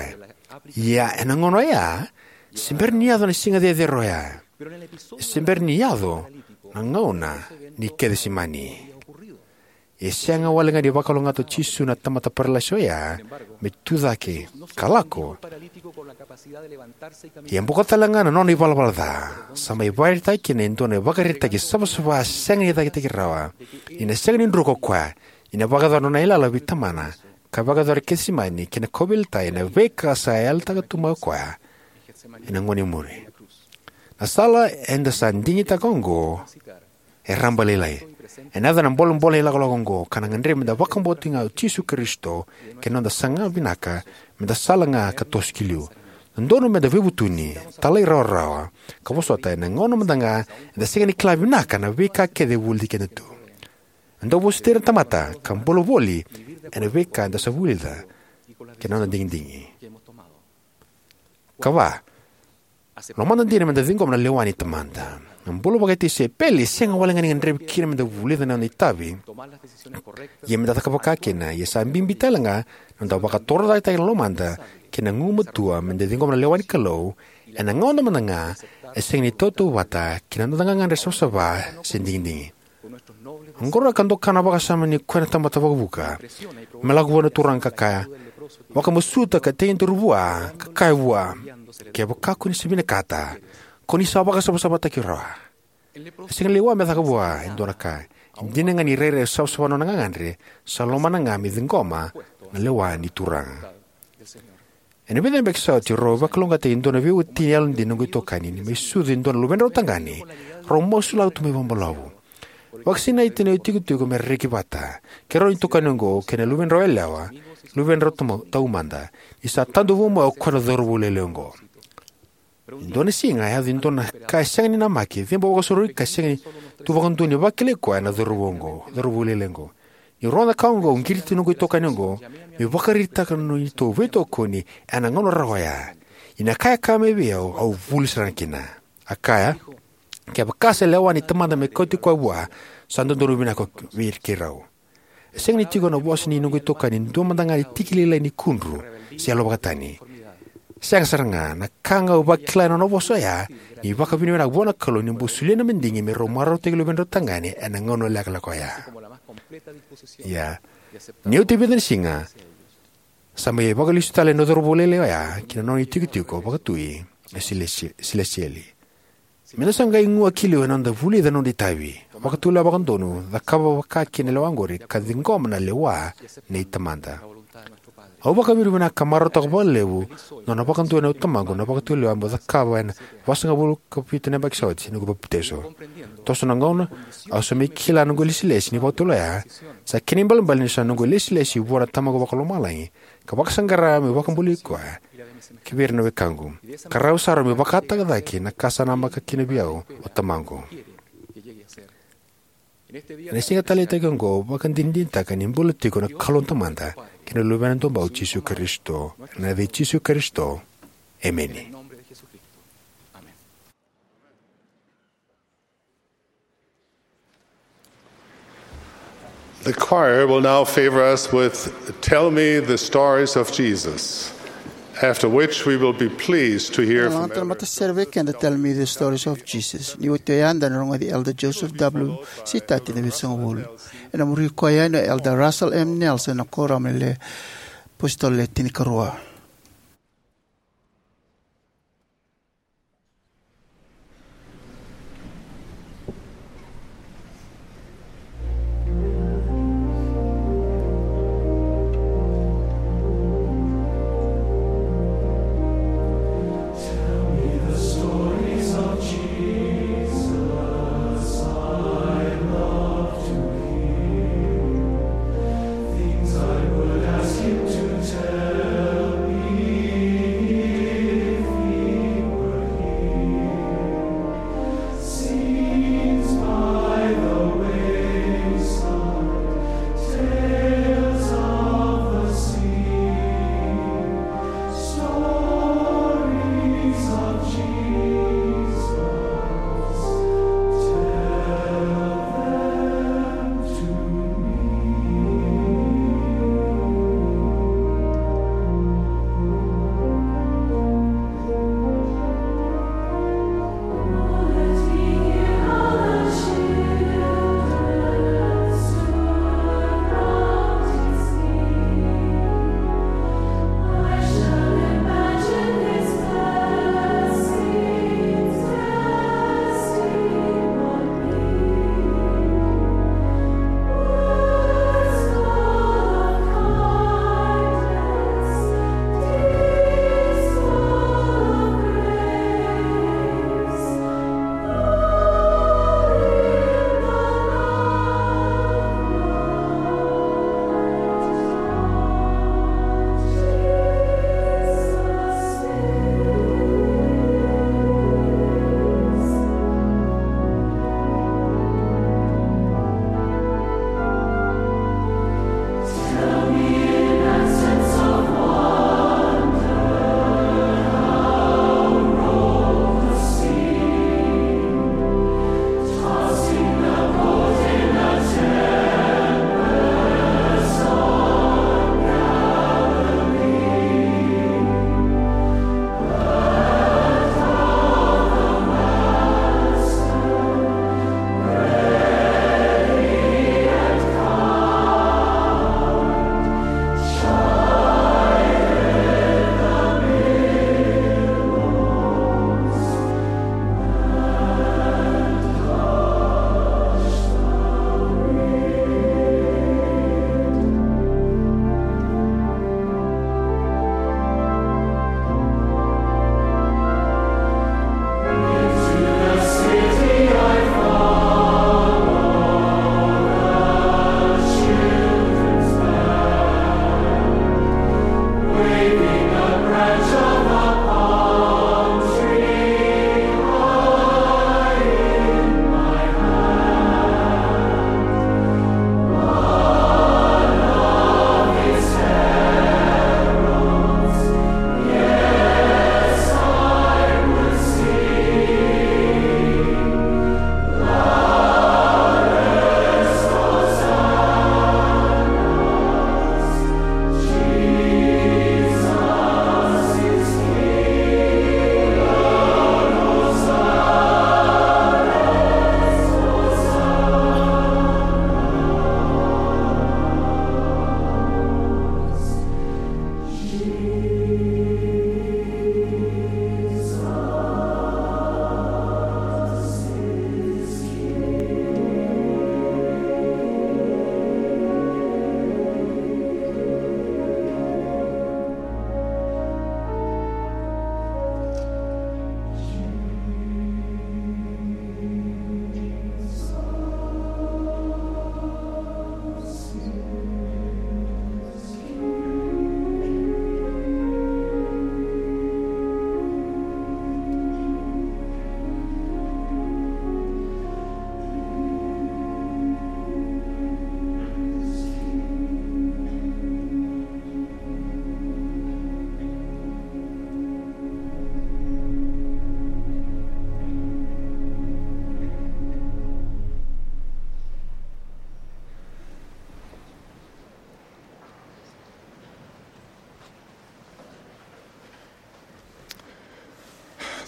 Ia ena gauna oya, se bera ni yaco na siga cecere oya. Se bera ni yaco na gauna ni Kecisemani. E sega wale ga ni vakalougatataka o Jisu na tamata paralasi oya me tu cake ka lako. Ia e boko tale ga na nona ivalavala ca. Sa mai vakaraitaka kina e dua na ivakaraitaki savasava sega ni cakitaki rawa, ni na sega ni druka o koya, ni na vakayacora na nona yalayala vei Tamana, ka vakayacora e Kecisemani, kei na kauveilatai ena veika sa yalataka tu mai o koya ena gauna e muri. Na sala eda sa digitaka oqo e rabailailai. Ena yaco na bolebole ni lakolako oqo, ka na gadrevi me da vakabauti ga o Jisu Karisito kei na noda saga vinaka, me da sala ga ka toso ki liu. Dodonu me da veivutuni, talairawarawa, ka vosota ena gauna mada ga eda sega ni kila vinaka na veika kece e vuli keda tu. Me da vosoti ira na tamata ka bula voli ena veika eda sa vulica kei na noda digidigi. Kava, lomada dina me da ciqoma na lewa ni Tamada. Na bula vakatisaipeli e sega wale ga ni gadrevi kina me da vulica na noda itavi, ia me da caka vaka kina. Ia sa bibi tale ga na noda vakatorocaketaki na lomada kei na gugumatua me da ciqoma na lewa ni Kalou ena gauna mada ga e sega ni tautauvata kei na noda gagadre savasava se digidigi. Oqori ka doka na vakasama ni koya na tamata vakavuka me lako vua na turaga ka kaya, vakamasuta ka tei duru vua, ka kaya vua, kevaka ko ni sa vinakata, ko ni sa vakasavasavataki rawa. E sega ni lewa me caka vua e dua na ka. E dina ga ni rairai savasava na nona gagadre, sa lomana ga me ciqoma na lewa ni Turaga. Ena vica na yabaki sa oti, rau vakalougatataki e dua na veiwatini yalodina noqu itokani ni mai sucu e dua na luvedrau tagane rau masulaka tu mai vakabalavu. Vakasinaiti na itikotiko me ra reki vata, kei rau na itokani oqo kei na luvedrau yalewa, luvedrau tama-, taumada, ni sa tadu vou mai o koya na cauravou lailai oqo. E dua na siga, a yaco e dua na ka e sega ni namaki, cebo vakasauri ka sega ni tu vakadua ni vakilai koya na cauravou oqo, cauravou lailai oqo. Niu rogoca na ka oqo, au qiriti noqu itokani oqo meu vakaraitaka na neitou veitokoni ena gauna rawa oya. Ia na ka e kaya mai vei au, au vuli sara ga kina. A kaya, kevaka sa lewa ni Tamada me kauti koya vua, sa dodonu vinaka vei keirau. Sega ni tiko na vosa ni noqu itokani e dua mada ga na tiki lailai ni kudru se yalovakatani. Sega sara ga. Na ka ga au vakila ena nona vosa oya ni vakavinavinaka vua na Kalou ni bau solia na madigi me rau marautaki luvedrau tagane ena gauna lekaleka oya. Ia, ni oti e vica na siga, sa mai vakalesu tale na cauravou lailai oya ki na nona itikotiko vakatui e silesi-, silesieli. Meda sa qai gua ki liu ena noda vulica na noda itavi, vakatulewa vakadodonu, cakava vaka kina na lewa oqori, ka ciqoma na lewa nei Tamada. Au vakavinavinaka ka marautaka vakalevu na nona vakadua na Tamaqu na vakatulewa meu cakava ena vasagavulu ka vitu na yabaki sa oti ni noqu papitaiso. Toso na gauna, au sa mai kila na noqu ilesilesi ni vakatulewa oya, sa kena ibalebale ni sa noqu ilesilesi vua na Tamaqu Vakalomalagi, ka vakasaqara meu vakabulai koya ki vei ira na wekaqu, ka rawa sara meu vakataka cake na ka sa namaka kina vei au o Tamaqu. Ena siga taleitaki oqo, au vakadinadinataka ni bula tiko na Kalou Tamada kei na Luvena Duabau Jisu Karisito. Ena yaca i Jisu Karisito, emeni. The choir will now favor us with Tell Me the Stories of Jesus, after which we will be pleased to hear from Elder Matasere vei keda Tell Me the Stories of Jesus. Ni oti oya eda na rogoci Elder Joseph W. Sitati na Vitusagavulu. Ena muri koya yani o Elder Russell M. Nelson, na Kuoramu ni Apositolo Le Tinikarua.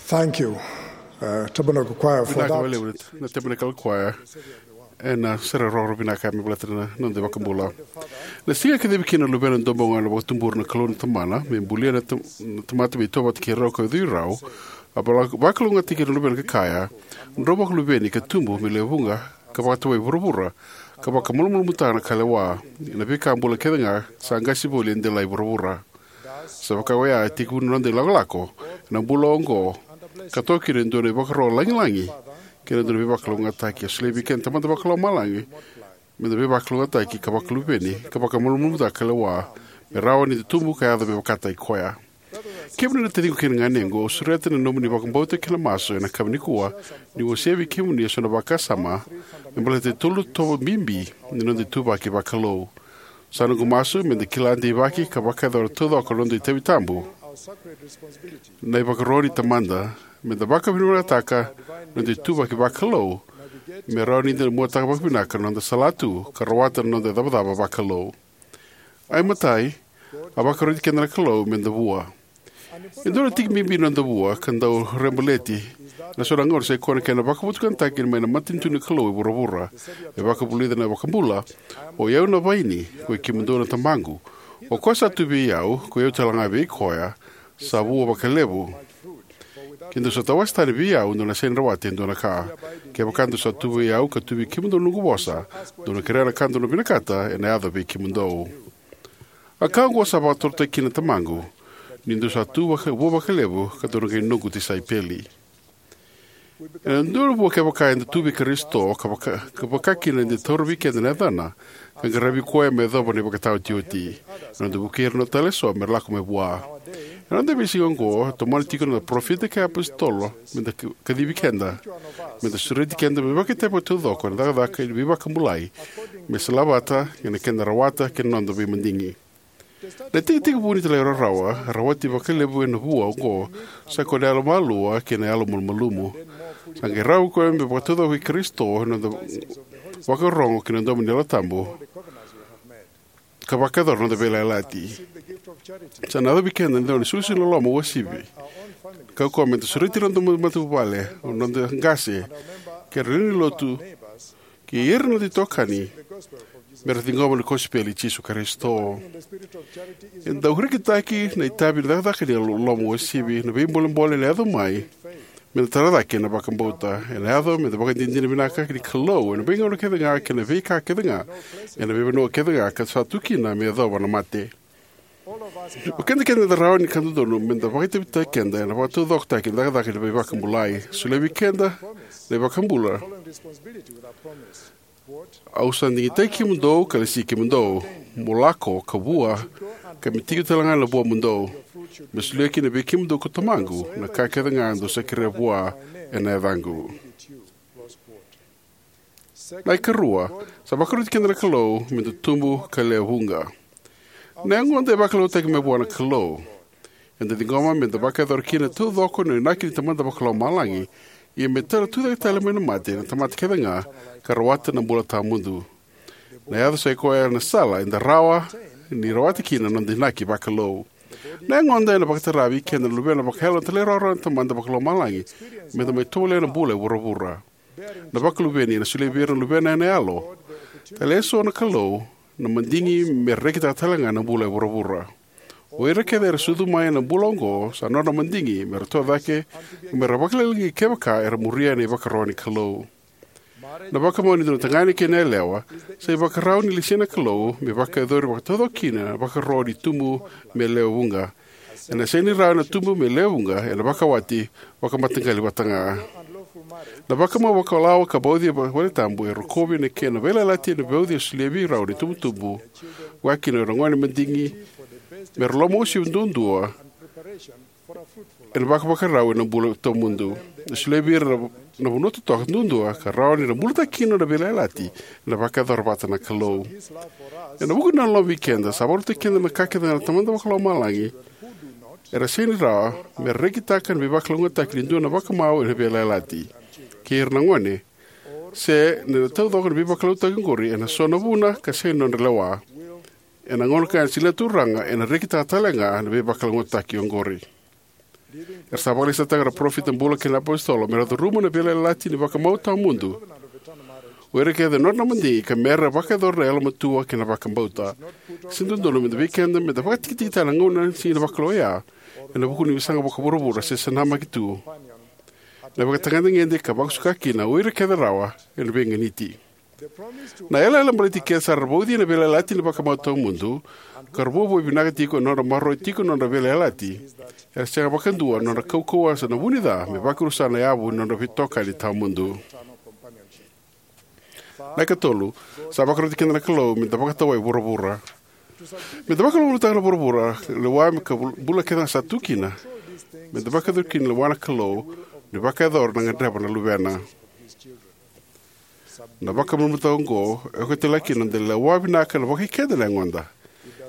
Thank you, uh, Tabernacle Choir, for vinaka that. Vakalevu na Tabernacle Choir ena sere roro vinaka me baleta na noda iVakabula. Na siga e kacivi kina na Luvena Duabau ga na vakatubura na Kalou na Tamana me bulia na tam- na tamata me itovo vata kei rau ka ucui rau, a vala- vakalougatataki ira na Luvena ka kaya: "Drau vakaluveni ka tubu me lewe vuqa, ka vakatovoi vuravura, ka vakamalumalumutaka na ka lewa, na veika bula kece ga sa qasi voli e delai vuravura." Sa vaka oya e tekivu na noda ilakolako ena bula oqo, ka toka kina e dua na ivakaro lagilagi kei na dua na veivakalougatataki. A solia vei keda na Tamada Vakalomalagi me da veivakalougatataki ka vakaluveni ka vakamalumalumutaka ka lewa, me rawa ni da tubu ka yaco me vakataki koya. Kemuni na taciqu kei na ganequ, au sureta na nomuni vakabauta kei na masu ena yakavi nikua, niu wasea vei kemuni eso na vakasama me baleta e tolu na itovo bibi ni noda ituvaki vakalou. Sa noqu masu me da kila deivaki ka vakayacora taucoko na noda itavi tabu, na ivakaro ni Tamada, me da vakavinavinakataka na noda ituvaki vakalou, me rawa ni da muataka vakavinaka na noda salatu ka rawata na noda icavacava vakalou. Ai matai, a vakaroti keda na Kalou me da vua. E dua na tiki bibi ni noda vua ka dau rebaleti ena so na gauna sa ikoya na kena vakavotukanataki mai na matanitu ni Kalou e vuravura, e vakavulica na iVakabula: "O i au na vaini, koi kemudou na tabaqu. O koya sa tu vei au, koi au talega vei koya, sa vua vakalevu. Ke dou sa tawase tani vei au, dou na sega ni rawata e dua na ka. Kevaka dou sa tu vei au, ka tu vei kemudou na noqu vosa, dou na kerea na ka dou na vinakata, ena yaco vei kemudou." A ka oqo sa vakatorotaki kina na Tamaqu, ni dou sa tu vaka- vua vakalevu, ka dou na qai noqu tisaipeli. Ena dua na vua, kevaka eda tu vei Karisito, ka vaka, ka vaka kina ni da taura vei keda na yacana, ka qaravi koya me yacova na ivakataotioti, ena noda vukei ira na tale eso me ra lako mai vua. Ena noda veisiga oqo, e tomana tiko na parofita kei na iapositolo me da ka- kacivi keda, me da sureti keda me vakaitavi vakataucoko ena cakacaka ni veivakabulai, me salavata kei na keda rawata kei na noda veimadigi. Na itekitekivu ni talairawarawa e rawati vakalevu ena vua oqo sa ikoya na yalomalua kei na yalomalumalumu. Sa qai rawa okoya me vakataucoko vei Karisito ena noda vakarorogo ki na domo ni Yalo Tabu ka vakayacora na noda veiyalayalati. Sa na yaco vei keda na dau ni isolisoli ni loloma uasivi, ka oqo me da sureti ira na noda matavuvale, noda qase, kei ira na lewe ni lotu, kei ira na noda itokani, me ra ciqoma na kosipeli i Jisu Karisito. E dau rekitaki na itavi ni cakacaka ni loloma uasivi, na veibolebole ena yaco mai me da tara cake ena vakabauta. Ena yaco me da vakadinadina vinaka ni Kalou ena veigauna kece ga kei na veika kece ga, ena veivanua kece ga ka sa tu kina me yacova na mate. O keda kece eda rawa ni ka dodonu me da vakaitavitaki keda ena vakataucokotaki na cakacaka ni veivakabulai. Solia vei keda na iVakabula: "Au sa digitaki kemudou ka lesi kemudou, mo lako ka vua, ka me tiko talega na vuamudou, me solia kina vei kemudou ko Tamaqu na ka kece ga dou sa kerea vua ena yacaqu." Na ikarua, sa vakaroti keda na Kalou me da tubu ka lewe vuqa. Na yagoda e vakalougatataki mai vua na Kalou. Eda ciqoma me da vakayacora kina taucoko na inaki ni Tamada Vakalomalagi, ia me tara tucake tale mai na mate na tamata kece ga ka rawata na bula tawamudu. Na yaca sa ikoya na sala eda rawa ni rawata kina na noda inaki vakalou. Na yagoda ena vakatara vei keda na luvena vakayalo na talairawarawa na Tamada Vakalomalagi me da mai tovolea na bula e vuravura. Na vakaluveni ena solia vei ira na luvena ena yalo tale eso na Kalou na madigi me ra rekitaka talega na bula e vuravura. O ira kece era sucu mai ena bula oqo sa nodra madigi me ra toka cake ka me ra vakalagilagi kevaka era muria na ivakaro ni Kalou. Na vakamau ni dua na tagane kei na yalewa sa ivakarau ni lesia na Kalou me vakayacori vakataucoko kina na ivakaro ni tubu me lewe vuqa. Ena sega ni rawa na tubu me lewe vuqa ena vakawati vakamataqali vata ga. Na vakamau vakalawa ka vauci e valetabu e rokovi na kena veiyalayalati ena vauci e solia vei rau na itubutubu, vaka kina o ira na gone madigi, me ra lomauasivi duadua ena vakavakarau ena bula tawamudu. E solia vei ira na, na vanua totoka duadua ka rawa ni ra bulataka kina na veiyalayalati ena vakayacora vata na Kalou. Ena vuku ni nona loloma vei keda, sa vakarautaki keda na ka kece ga na Tamada Vakalomalagi era sega ni rawa me ra rekitaka na veivakalougatataki ni dua na vakamau ena veiyalayalati kei ira na gone, se na taucoko na veivakalougatataki oqori ena so na vuna ka sega ni nodra lewa. Ena gauna ka ena solia na Turaga, ena rekitaka talega na veivakalougatataki oqori. Era sa vakalesuitaka na parofita bula kei na iapositolo mera curuma na veiyalayalati ni vakamau tawamudu, o ira kece na nodra madigi, ka mera vakayacora na yalomatua kei na vakabauta. Sega ni dodonu vei keda meda vakatikitikitaka na gauna ni siga ni vakalou oya ena vuku ni veisaqavuravura se senamaki tu, na ivakatagedegede ka vakasuka kina o ira kece rawa ena veiganiti. Na yalayala baleti kece era sa vauci ena veiyalayalati ni vakamau tawamudu, ka ra vuavuai vinaka tiko ena nodra maroroya tiko na nodra veiyalayalati, era sega vakadua na nodra kaukauwa se na vu-ni-ca me vakarusa na yavu ni nodra veitokani tawamudu. Na ikatolu, sa vakaroti keda na Kalou meda vakatawai vuravura. Meda vakalougatataka na vuravura lewa ka bula kece sa tu kina, meda vakayacora kina na lewa ni Kalou ni vakayacora ena gadreva na Luvena. Na vakamalumalumutaki oqo e okati talega kina na noda lewa vinaka vakaikeda na yagoda.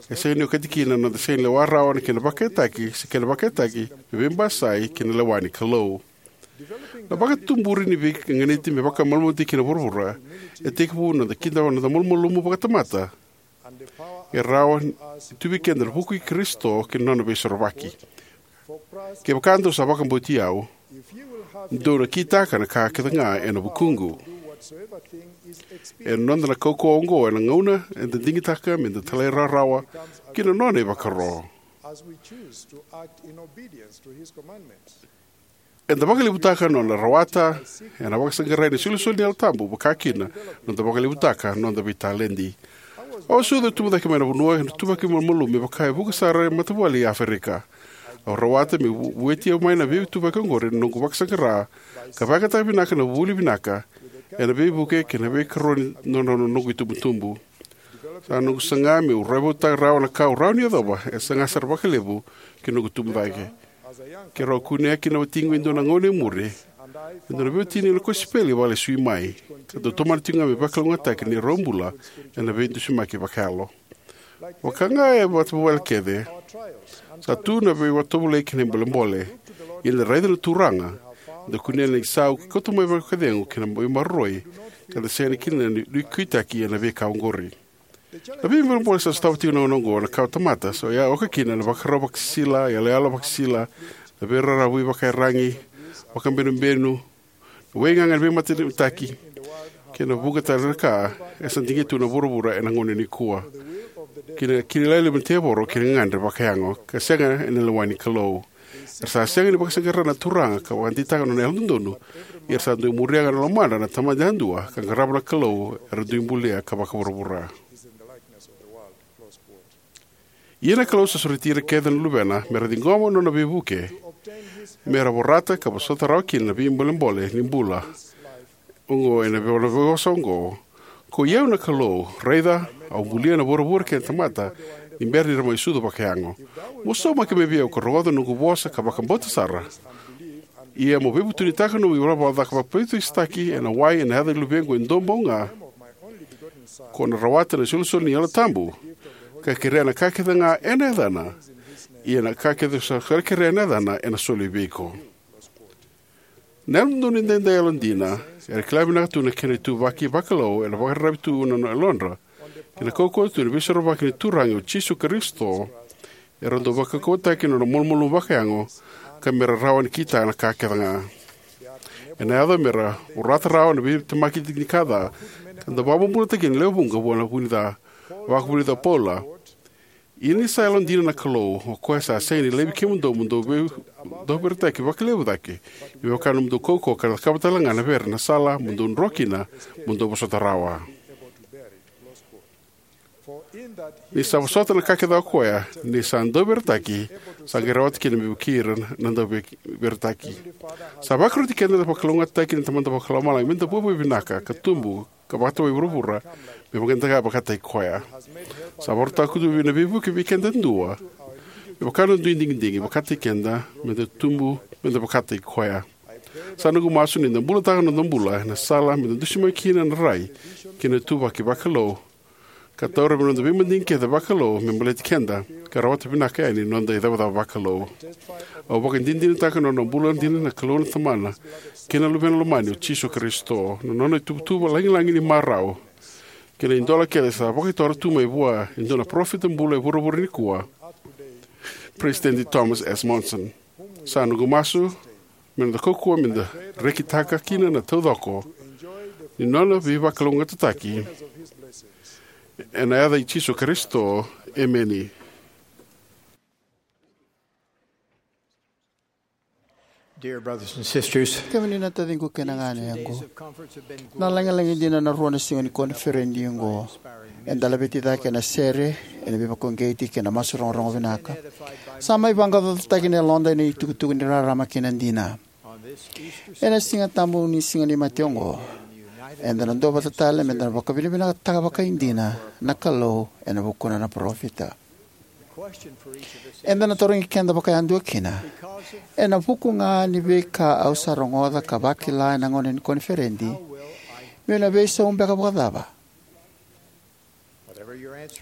E sega ni okati kina na noda sega ni lewa rawa na kena vakayagataki se kena vakayagataki me veibasai kei na lewa ni Kalou. Na vakatuburi ni veiganiti me vakamalumalumutaki kina vuravura e tekivu ena noda kidava na noda malumalumu vakatamata, e rawa ni tu vei keda na vuku i Karisito kei na nona veisorovaki. Kevaka dou sa vakabauti au, dou na kitaka na ka kece ga ena vukuqu. E noda na kaukauwa oqo ena gauna eda digitaka meda talairawarawa ki na nona ivakaro. Eda vakalevutaka na noda rawata ena vakasaqarai ni isolisoli ni Yalo Tabu, vaka kina na noda vakalevutaka na noda veitaledi. Au a sucu ka tubu cake mai na vanua ena ituvaki malumalumu me vaka e vuqa sara na matavuvale e Aferika. Au rawata meu vueti mai na veituvaki oqori ena noqu vakasaqara ka vakayagataka vinaka na vuli vinaka ena veivuke kei na veikaroni ni nodra noqu itubutubu. Sa noqu saga meu raivotutaka rawa na ka au rawa ni yacova e saga sara vakalevu ki na noqu tubu cake. Keirau a kunea kina na watiqu e dua na gauna e muri e dua na veiwatini ena kosipeli e vakalesui mai, ka dau tomana tiko ga me vakalougatataki na neirau bula ena veidusimaki vakayalo. Vaka ga e matavuvale kece, sa tu na veivakatovolei kei na bolebole. Ia ni da raica na Turaga, eda kunea na isau ka kauta mai vakacegu kei na veimaroroi, ka da sega kina ni nuiqawataki ena veika oqori. Na veibolebole sa sotava tiko na gauna oqo na kawatamata, sa oya oka kina na ivakarau vakasisila, iyaloyalo vakasisila, na veiraravuvi vakaiyaragi, vakabenubenu, na waigaga ni veimatanitaki, kei na vuqa tale na ka e sa digitaka tu na vuravura ena gauna nikua, kei na kidavaki levu ni tevoro kei na gagadre vakayago, ka sega ena lewa ni Kalou. Era sa sega ni vakasaqara na Turaga ka vakadeitaka na nona yalododonu, ia era sa dau muria ga na lomadra na tamata yadua ka qarava na Kalou era dui bulia ka vakavuravura. Ia na Kalou sa sureti ira kece na luvena mera ciqoma na nona veivuke, mera vorata ka vosota rawa kina na veibolebole ni bula oqo ena veivosa oqo: Koi au na Kalou, raica, au bulia na vuravura kei na tamata ni bera ni ra mai sucu vakayago. Mo saumaki mai vei au ka rogoca na noqu vosa ka vakabauta sara, ia mo veivutunitaka na nomu ivalavala ca ka vakaveiveitaki ena wai ena yaca ni Luvequ e duabau ga, ko na rawata na isolisoli ni Yalo Tabu, ka kerea na ka kece ga ena yacana, ia na ka kece sa kerea ena yacana ena soli vei iko. Na Yalododonu Edaidai Yalodina era kila vinaka tu na kena ituvaki vakalou era vakararavi tu na yalodra kei na kaukauwa tu ni Veisorovaki ni Turaga o Jisu Karisito. Era dau vakaukauwataki na nodra malumalumu vakayago ka mera rawa ni kitaka na ka kece ga. Ena yaco mera vorata rawa na veitemaki ni ka ca, ka dau vakabobulataki na lewe vuqa vua na vu-ni-ca. Vakavulica o Paula: Ia ni sa yalodina na Kalou, o koya sa sega ni laivi kemudou mo dou vei-, dauveretaki vakalevu cake, me vaka na nomudou kaukauwa, ka na cakava talega na vere na sala mo dou dro kina mo dou vosota rawa. Ni sa vosota na ka kece o koya, ni sa dauveretaki, sa qai rawata kina me vukei ira na dauveretaki. Sa vakaroti keda vakalougatataki na Tamada Vakalomalagi meda vuavuai vinaka ka tubu ka vakatawai vuravura me vaka eda vakataki koya. Sa vakarautaka tu na veivuke vei keda yadua me vaka na dui digidigi, vakataki keda meda tubu meda vakataki koya. Sa noqu masu ni da bulataka na noda bula ena sala meda dusimaki kina na rai kei na ituvaki vakalou, ka taura mai na noda veimadigi kece vakalou me baleti keda, ka rawata vinaka yani na noda icavacava vakalou. Au vakadinadinataka na nona bula dina na Kalou na Tamana kei na Luvena Lomani o Jisu Karisito, na nona ituvatuva lagilagi ni marau, kei na idola kece sa vakaitora tu mai vua e dua na parofita bula e vuravura nikua, Peresitedi Thomas S. Monson. Sa noqu masu me noda kaukauwa me da rekitaka kina na taucoko ni nona veivakalougatataki. Ena yaca i Jisu Karisito, emeni. Dear brothers and sisters, kemuni na taciqu kei na ganequ, na lagilagi dina na rua na siga ni koniferedi oqo. Eda laveti cake ena sere, ena veivakauqeti kei na masu rogorogo vinaka. Sa mai vaqaqacotaki na yaloda ena itukutuku ni rarama kei na dina. Ena Siga Tabu ni Siga ni Mate oqo, eda na duavata tale me da na vakavinavinakataka vakaidina na Kalou ena vukuna na parofita. Eda na tarogi keda vakayadua kina, ena vuku ga ni veika au sa rogoca ka vakila ena gauna ni koniferedi, meu na veisau beka vakacava?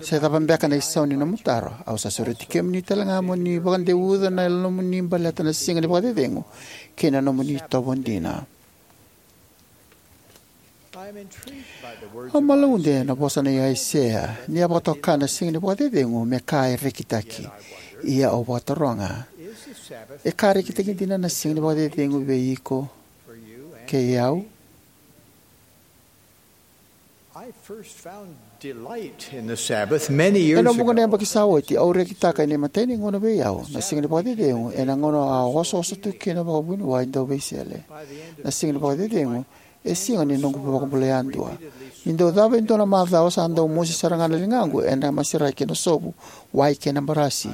Se cava beka na isau ni nomu taro, au sa sureti kemuni tale ga mo ni vakadeuca na yalomuni baleta na Siga ni Vakacecegu kei na nomuni itovo dina. Au malaude na vosa nei Aisea ni a vakatoka na Siga ni Vakacecegu me ka e rekitaki. Ia au vakataroga, e ka rekitaki dina na Siga ni Vakacecegu vei iko kei au? I first found delight in the Sabbath many years ago. Ena vuqa na yabaki sa oti, au rekitaka ena imatai ni gauna vei au na Siga ni Vakacecegu, ena gauna au a osooso tu kina vakavuniwai dau veisele. Na Siga ni Vakacecegu e siga ni noqu vakabulai yadua. Ni dau cava e dua na macawa, sa dau mosi sara ga na ligaqu ena maseraki ena sovu, wai kei na barasi.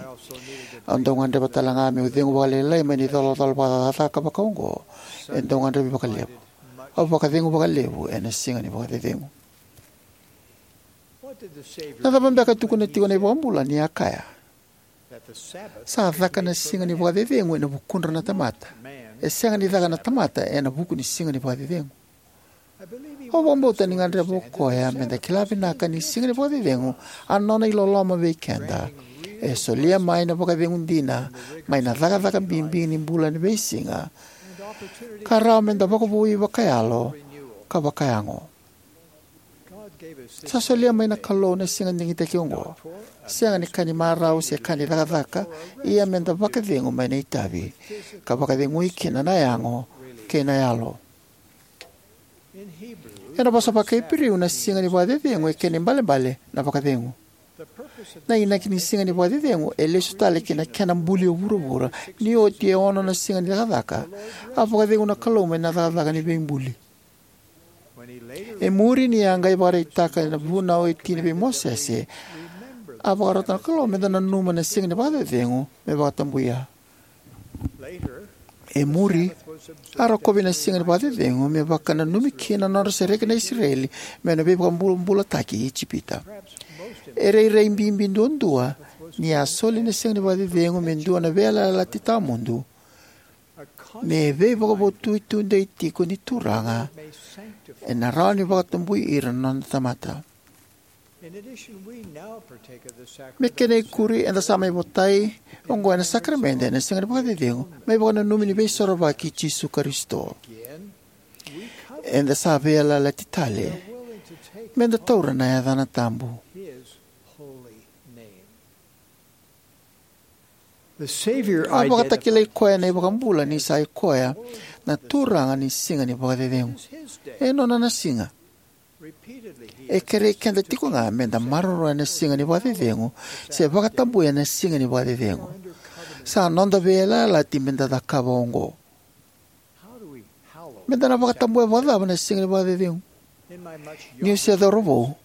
Au dau gadreva tale ga meu cegu vakalailai mai na icolacola vakacakacaka vakaoqo. E dau gadrevi vakalevu. Au vakacegu vakalevu ena Siga ni Vakacecegu. Na cava beka e tukuna tiko na iVakabula ni a kaya? Sa caka na Siga ni Vakacecegu ena vukudra na tamata. E sega ni caka na tamata ena vuku ni Siga ni Vakacecegu. Au vakabauta ni gadreva o koya me da kila vinaka ni Siga ni Vakacecegu a nona iloloma vei keda. E solia mai na vakacegu dina mai na cakacaka bibi ni bula ni veisiga, ka rawa me da vakavoui vakayalo ka vakayago. Sa solia mai na Kalou na siga digitaki oqo, sega ni ka ni marau se ka ni cakacaka, ia me da vakacegu mai na itavi, ka vakacegui kina na yago kei na yalo. Ena vosa vakaIperiu, na Siga ni Vakacecegu e kena ibalebale na vakacegu. Na inaki ni Siga ni Vakacecegu e lesu tale ki na kena buli o vuravura. Ni oti e ono na siga ni cakacaka, a vakacegu na Kalou mai na cakacaka ni veibuli. E muri, ni a qai vakaraitaka na vunau e tini vei Mosese, a vakarota na Kalou me da nanuma na Siga ni Vakacecegu me vakatabuya. E muri, a rokovi na Siga ni Vakacecegu me vakananumi kina na nodra sereki na Isireli mai na veivakabobulataki i Ijipita. E rairai bibi duadua ni a soli na Siga ni Vakacecegu me dua na veiyalayalati tawamudu, me veivakavotuitudei tiko ni Turaga, ena rawa ni vakatabui ira na nona tamata. Me kena ikuri, eda sa mai votai oqo ena sakaramede ena Siga ni Vakacecegu, me ivakananumi ni Veisorovaki i Jisu Karisito. Eda sa veiyalayalati tale me da taura na yacana tabu. A vakatakilai koya na iVakabula ni sa i koya na Turaga ni Siga ni Vakacecegu. E nona na siga. E kerei keda tiko ga me da maroroya na Siga ni Vakacecegu se vakatabuya na Siga ni Vakacecegu. Sa noda veiyalayalati me da cakava oqo. Me da na vakatabuya vakacava na Siga ni Vakacecegu? Niu se cauravou,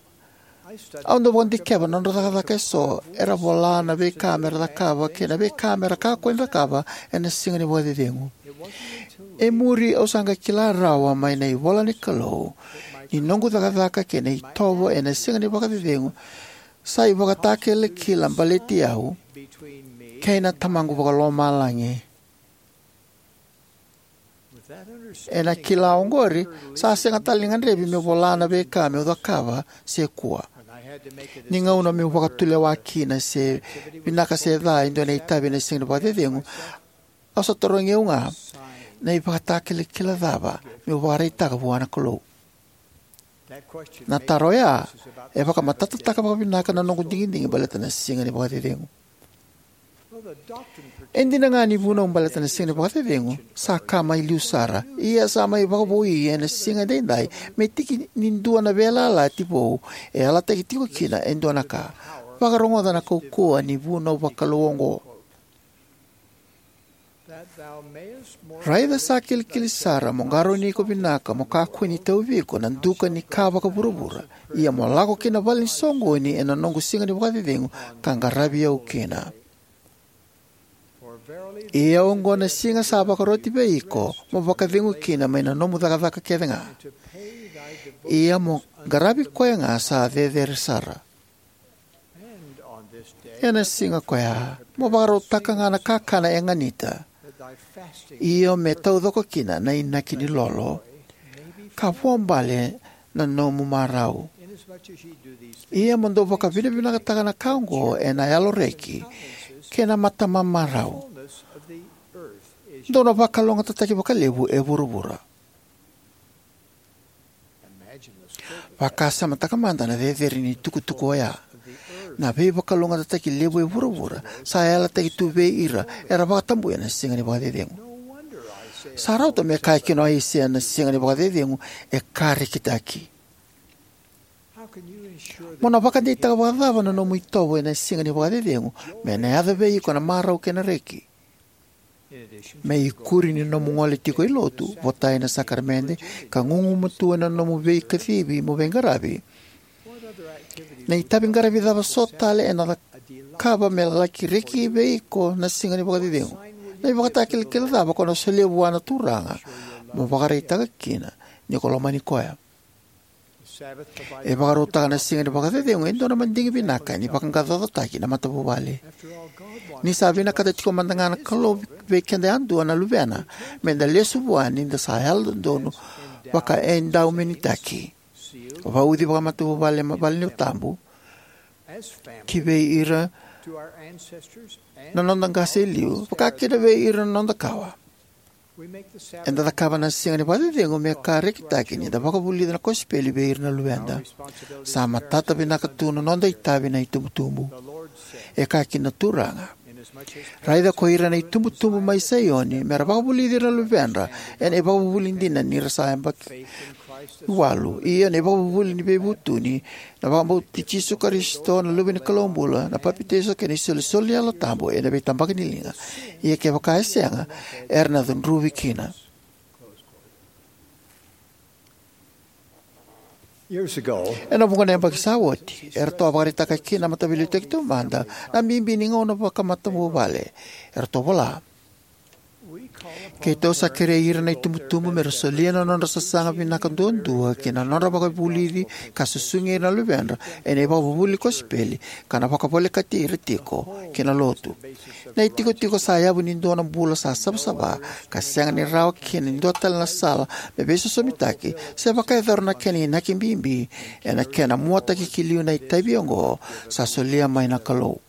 au dau vakadikeva na nodra cakacaka eso era vola na veika me ra cakava kei na veika me ra kakua ni cakava ena Siga ni Vakacecegu. E muri, au sa qai kila rawa mai na ivola ni Kalou ni noqu cakacaka kei na itovo ena Siga ni Vakacecegu sa ivakatakilakila baleti au kei na Tamaqu Vakalomalagi. Ena kila oqori, sa sega tale ni gadrevi meu vola na veika meu cakava se kua. Ni gauna meu vakatulewa kina se vinaka se ca e dua na itavi ena Siga ni Vakacecegu, au sa tarogi au ga, na ivakatakilakila cava meu vakaraitaka vua na Kalou? Na taro oya e vakamatatataka vakavinaka na noqu digidigi baleta na Siga ni Vakacecegu. E dina ga ni vunau baleta na Siga ni Vakacecegu sa ka mai liu sara, ia sa mai vakavoui ena siga edaidai me tiki ni dua na veiyalayalati vou e yalataki tiko kina e dua na ka. Vakarogoca na kaukauwa ni vunau vakalou oqo: Raica sa kilikili sara, mo qarauni iko vinaka, mo kakua ni tauvi iko na duka ni ka vakavuravura, ia mo lako ki na vale ni soqoni ena noqu Siga ni Vakacecegu, ka qaravi au kina. Ia oqo na siga sa vakaroti vei iko mo vakacegu kina mai na nomu cakacaka kece ga, ia mo qaravi koya ga sa cecere sara. Ena siga ko ya mo vakarautaka ga na kakana e ganita, io me taucoko kina na inaki ni lolo, ka vuabale na nomu marau. Ia mo dau vakavinavinakataka na ka oqo ena yalo reki kei na matamamarau. Dou na vakalougatataki vakalevu e vuravura. Vakasamataka mada na cecere ni tukutuku oya. Na veivakalougatataki levu e vuravura sa yalataki tu vei ira era vakatabuya na Siga ni Vakacecegu. Sa rauta me kaya kina o Aisea na Siga ni Vakacecegu e ka rekitaki. Mo na vakadeitaka vakacava na nomu itovo ena Siga ni Vakacecegu me na yaco vei iko na marau kei na reki? Me ikuri ni nomu gole tiko i lotu, votai na sakaramede, ka gugumatua ena nomu veikacivi mo veiqaravi, na itavi qaravi cava so tale ena cakava me laki reki vei iko na Siga ni Vakacecegu? Na ivakatakilakila cava ko na solia vua na Turaga mo vakaraitaka kina ni ko lomani koya? E vakarautaka na Siga ni Vakacecegu e dua na madigi vinaka ni vaqaqacotaki na matavuvale. Ni sa vinakata tiko mada ga na Kalou vei keda yadua na Luvena me da lesu vua ni da sa yalododonu vakaedaumenitaki, vauci vakamatavuvale mai valenilotu tabu, ki vei ira na noda qase e liu, vakakina vei ira na noda kawa. Eda cakava na Siga ni Vakacecegu me ka rekitaki ni da vakavulica na kosipeli vei ira na luveda. Sa matata vinaka tu na noda itavi na itubutubu. E kaya kina na Turaga: Raica ko ira na itubutubu mai Saioni, me ra vakavulici ira na luvedra ena ivakavuvuli dina ni ra sa yabaki walu, io na ivakavuvuli ni veivutuni, na vakabauti Jisu Karisito na Luve ni Kalou bula, na papitaiso kei na isolisoli ni Yalo Tabu ena veitabaki ni liga. Ia kevaka e sega, era na cudruvi kina. Ena vuqa na yabaki sa oti, eratou a vakaraitaka kina na Mataveiliutaki Taumada na bibi ni gauna vakamatavuvale. Eratou vola: Keitou sa kerei ira na itubutubu me ra solia na nodra sasaga vinaka duadua ki na nodra vakavulici ka susugi ira na luvedra ena ivakavuvuli ni kosipeli, ka na vakavolekati ira tiko ki na lotu. Na itikotiko sa yavu ni dua na bula sa savasava ka sega ni rawa kina e dua tale na sala me veisosomitaki se vakayacora na kena inaki bibi ena kena muataki ki liu na itavi oqo sa solia mai na Kalou.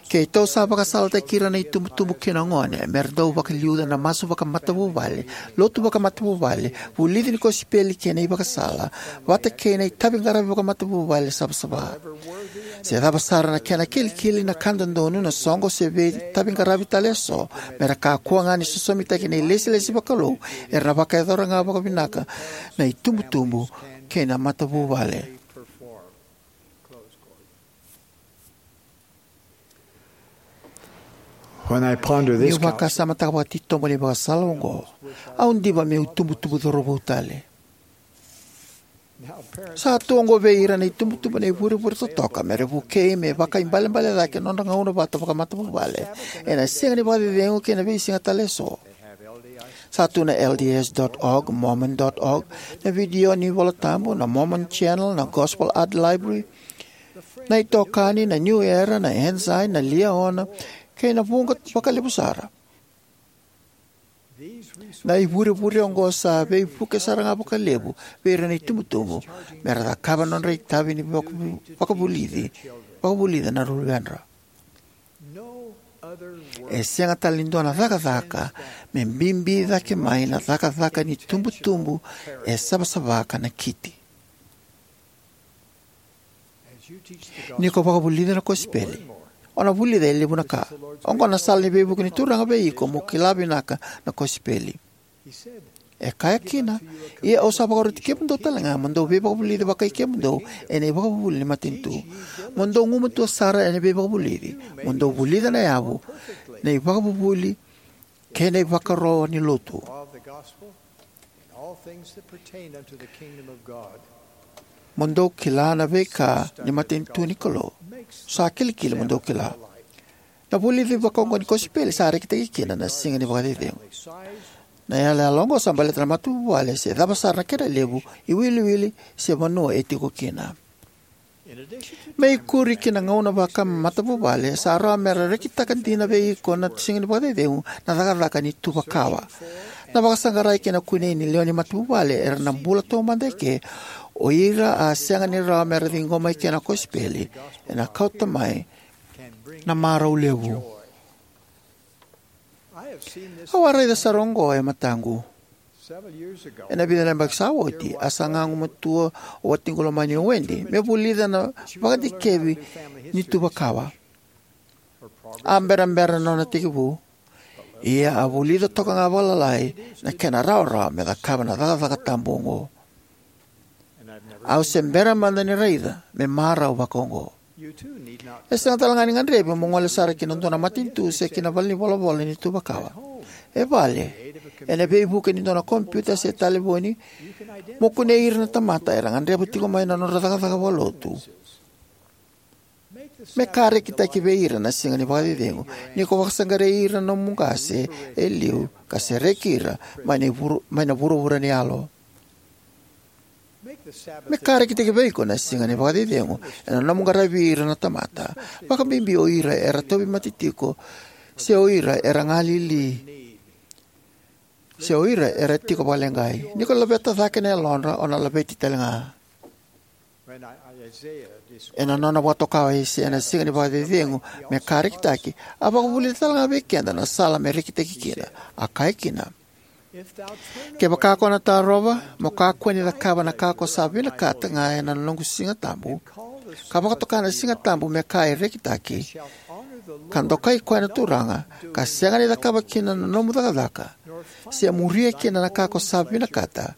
Keitou sa vakasalataki ira na itubutubu kei na gone me ra dau vakaliuca na masu vakamatavuvale, lotu vakamatavuvale, vulici ni kosipeli kei na ivakasala, vata kei na itaviqaravi vakamatavuvale savasava. Se cava sara na kena kilikili, na ka dodonu, na soqo se veitaviqaravi tale eso, me ra kakua ga ni sosomitaki na ilesilesi vakalou, era na vakayacora ga vakavinaka na itubutubu kei na matavuvale. When I ponder this Niu vakasamataka vakatitobu na ivakasala oqo, au diva meu tubutubu cauravou tale. Sa tu oqo vei ira na itubutubu na ivurevure totoka me ra vukei me vakaibalebale cake na nodra gauna vata vakamatavuvale ena Siga ni Vakacecegu kei na veisiga tale eso. Sa tu na L D S dot org, Mormon dot org, na vidio ni iVolatabu, na Mormon Channel, na Gospel Art Library, na itokani, na New Era, na Ensign, na Liahona, kei na vuqa vakalevu sara. Na ivurevure oqo sa veivuke sara ga vakalevu vei ira na itubutubu me ra cakava na nodra itavi ni vakavu-, vakavulici, vakavulica na luvedra. E sega tale ni dua na cakacaka me bibi cake mai na cakacaka ni tubutubu e savasava ka nakiti. Ni ko vakavulica na kosipeli, O na vulica e levu na ka. Oqo na sala ni veivuke ni Turaga vei iko mo kila vinaka na kosipeli. E kaya kina, ia au sa vakaroti kemudou tale ga mo dou veivakavulici vakai kemudou ena ivakavuvuli ni matanitu. Mo dou gumatua sara ena veivakavulici. Mo dou vulica na yavu, na ivakavuvuli, kei na ivakaro ni lotu. Mo dou kila na veika ni matanitu ni Kalou. Sa kilikili mo dou kila. Na vulici vakaoqo ni kosipeli sa rekitaki kina na siga ni vakacecegu. Na iyaloyalo oqo sa baleta na matavuvale se cava sara na kena levu, iwiliwili se vanua e tiko kina. Me ikuri ki na gauna vakamatavuvale, sa rawa mera rekitaka dina vei iko na siga ni vakacecegu na cakacaka ni tuvakawa. Na vakasaqarai kei na kunei ni lewe ni matavuvale era na bula taumada eke, o ira a sega ni rawa mera ciqoma eke na kosipeli, ena kauta mai na marau levu. Au a raica sara oqo e mataqu. Ena vica na yabaki sa oti, a saga gumatua o watiqu lomani o Wendy me vulica na vakadikevi ni tuvakawa. A berabera na nona tekivu, ia a vulica toka ga vakalalai na kena rawarawa me cakava na cakacaka tabu oqo. Au se bera mada ni raica me marau vakaoqo. E sega tale ga ni gadrevi mo gole sara ki na dua na matanitu se ki na valenivolavola ni tuvakawa. E vale, ena veivuke ni dua na kompiuta se talevoni, mo kunei ira na tamata era gadreva tiko mai na nodra cakacaka vakalotu. Me ka rekitaki vei ira na siga ni vakacecegu ni ko vakasaqarai ira na nomu qase e liu ka sereki ira mai na vuru-, mai na vuravura ni yalo. Me ka rekitaki vei iko na siga ni vakacecegu ena nomu qaravi ira na tamata, vakabibi o ira era tauvimate tiko, se o ira era galili, se o ira era tiko vakaleqai. Ni ko laveta cake na yalodra, o na laveti tale ga. Ena nona vakatoka o Aisea na siga ni vakacecegu me ka rekitaki, a vakavulica tale ga vei keda na sala me rekitaki kina. A kaya kina, kevaka ko na tarova, mo kakua ni cakava na ka ko sa vinakata ga ena noqu siga tabu, ka vakatoka na siga tabu me ka e rekitaki, ka dokai koya na Turaga, ka sega ni cakava kina na nomu cakacaka, se muria kina na ka ko sa vinakata,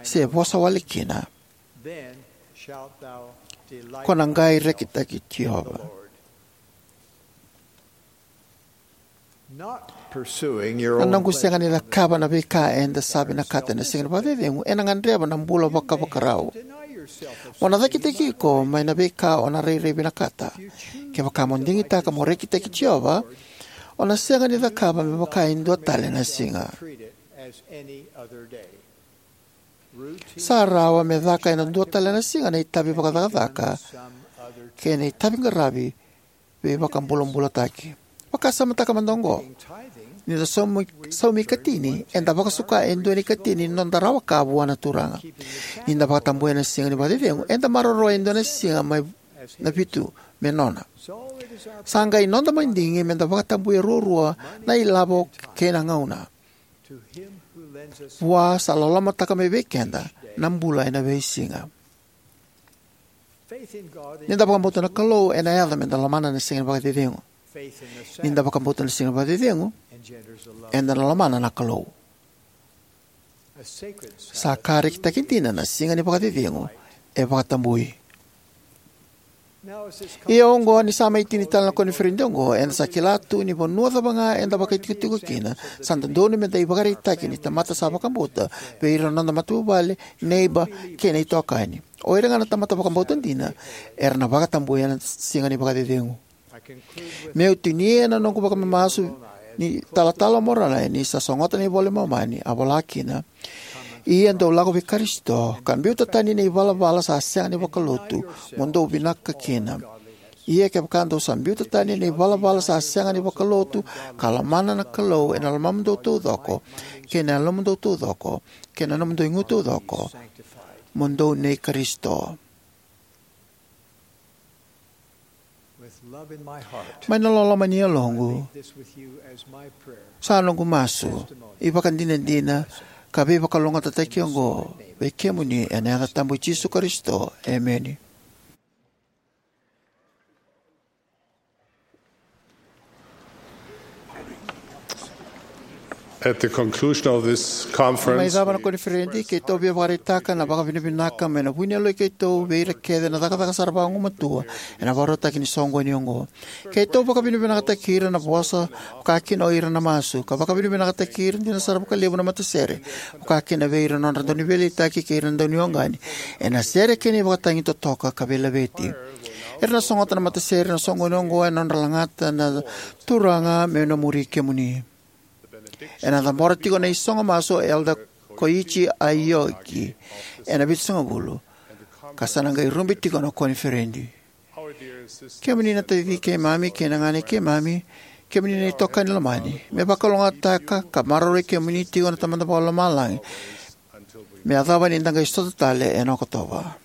se vosa wale kina, ko na qai rekitaki Jiova. Na noqu sega ni cakava na veika eda sa vinakata ena siga ni vakacecegu ena gadreva na bula vakavakarau. Mo na cakitaki iko mai na veika o na rairai vinakata. Kevaka mo digitaka mo rekitaki Jiova, o na sega ni cakava me vaka e dua tale na siga. Sa rawa me caka ena dua tale na siga na itavi vakacakacaka kei na itavi qaravi veivakabulabulataki. Vakasamataka mada oqo. Ni da saumi, saumi ikatini, eda vakasuka e dua na ikatini ni noda rawa ka vua na Turaga. Ni da vakatabuya na siga ni vakacecegu, eda maroroya e dua na siga mai na vitu me nona. Sa qai noda madigi me da vakatabuya ruarua na ilavo kei na gauna. Vua sa lolomataka mai vei keda na bula ena veisiga. Ni da vakabauta na Kalou ena yaco me da lomana na siga ni vakacecegu. Ni da vakabauta na siga ni vakacecegu, eda na lomana na Kalou. Sa ka rekitaki dina na siga ni vakacecegu e vakatabui. Ia oqo, ni sa mai tini tale na koniferedi oqo, eda sa kila tu ni vanua cava ga eda vakaitikotiko kina, sa dodonu me da ivakaraitaki ni tamata sa vakabauta vei ira na noda matavuvale, neiba, kei na itokani. O ira ga na tamata vakabauta dina era na vakatabuya na siga ni vakacecegu. Meu tinia na noqu vakamamasu ni talatala o Moronai ni sa sogota na iVola i Momani, a vola kina: Ia dou lako vei Karisito, ka biuta tani na ivalavala sa sega ni vakalotu, mo dou vinaka kina. Ia kevaka dou sa biuta tani na ivalavala sa sega ni vakalotu, ka lomana na Kalou ena lomamudou taucoko, kei na yalomudou taucoko, kei na nomudou igu taucoko, mo dou nei Karisito. Mai na loloma ni yaloqu, sa noqu masu, ivakadinadina, ka veivakalougatataki oqo vei kemuni ena yaca tabu i Jisu Karisito. Emeni. At the conclusion of this conference, mai cava na koniferedi, keitou via vakaraitaka na vakavinavinaka mai na vu ni yaloi keitou vei ira kece na cakacaka sara vagumatua ena vakarautaki ni soqoni oqo. Keitou vakavinavinakataki ira na vosa, vaka kina o ira na masu, ka vakavinavinakataki ira dina sara vakalevu na matasere, vaka kina vei ira na nodra dauniveiliutaki kei ira na daunioqani ena sere kei na ivakatagi totoka ka veilaveti. Era na sogota na matasere ena soqoni oqo ena nodra lagata na Turaga meu na muri kemuni. Ena cabora tiko na isogo masu o Elder Koichi Aoki ena vitusagavulu, ka sa na qai rube tiko na koniferedi. Kemuni na taciqu keimami kei na ganequ keimami, kemuni na itokani lomani, me vakalougatataka ka maroroi kemuni tiko na Tamada Vakalomalagi me yacova ni da qai sota tale ena Okotova.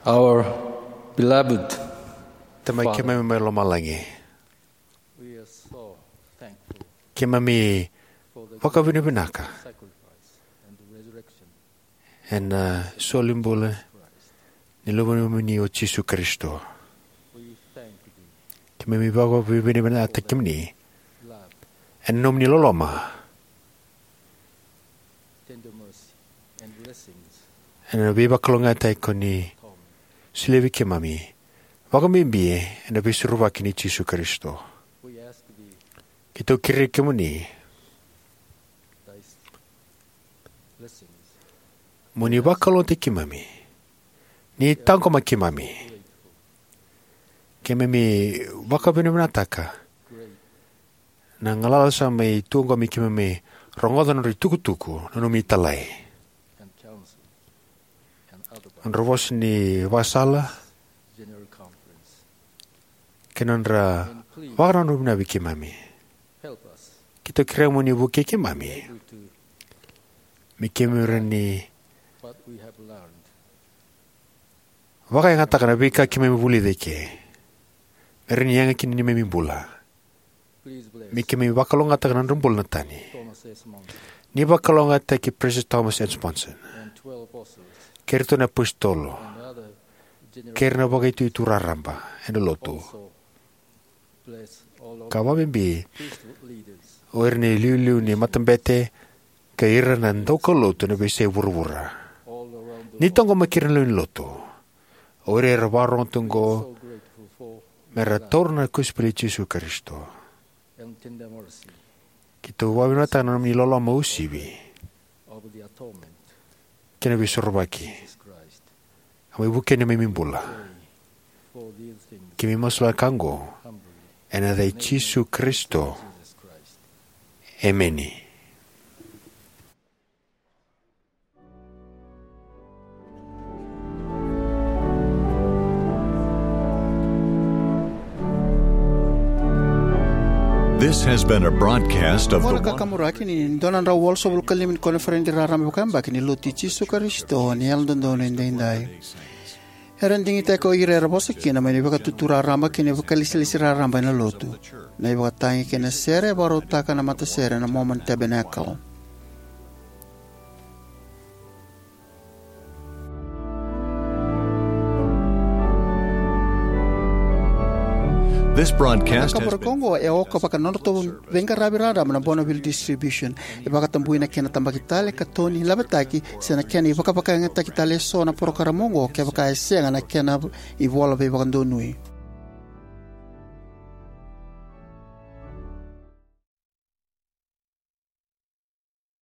Our beloved Tamai Father, keimami mai lomalagi, we are so thankful keimami for the vakavinavinaka sacrifice and the resurrection ena soli bula ni Luvenimuni o Jisu Karisito. We thank thee. Keimami vakavinavinakataki kemuni ena nomuni loloma, tender mercy, and blessings ena veivakalougatataki ko ni solia vei keimami, vakabibi ena Veisorovaki nei Jisu Karisito. We ask thee, keitou kerei kemuni, thy blessings, mo ni vakalougatataki keimami, ni taqomaki keimami. Keimami vakavinavinakataka na galala sa mai tuqomi keimami rogoca nodra itukutuku na nomuni italai, nodra vosa ni vakasala, kei na nodra vakanananu vinaka vei keimami. Keitou kerea mo ni vukei keimami me keimami rawa ni vakayagataka na veika keimami vulica eke, me rawa ni yaga kina neimami bula. Me keimami vakalougatataka na nodra bula na tani. Ni vakalougatataki Peresitedi Thomas S. Monson kei iratou na apositolo kei ira na vakaitutu raraba ena lotu, ka vakabibi o ira na iliuliu ni matabete kei ira na daukaulotu ena veiyasai vuravura. Ni taqomaki ira na lewe ni lotu, o ira era vakarorogo tu oqo me ra taura na kosipeli i Jisu Karisito. Keitou vakavinavinakataka na nomuni loloma uasivi kei na Veisorovaki. A mai vukei na neimami bula. Keimami masulaka oqo ena yaca i Jisu Karisito. Emeni. This has been a broadcast of the Qo na kakamuraki ni dua na drau walusagavulu ka lima ni koniferedi raraba vakayabaki ni Lotu i Jisu Karisito ni Yalododonu Edaidai. Era digitaki o ira era vosa kina mai na ivakatutu raraba kei na ivakalesilesi raraba ena Lotu. Na ivakatagi kei na sere e vakarautaka na matasere na Mormon Tabernacle. This broadcast has been Kaburaki oqo e oka vaka nodratou veiqaravi raraba na Bonneville Distribution. E vakatabui na kena tabaki tale, katoni, lavetaki, se na kena ivakavakayagataki tale eso na porokaramu oqo kevaka e sega na kena ivola veivakadonui.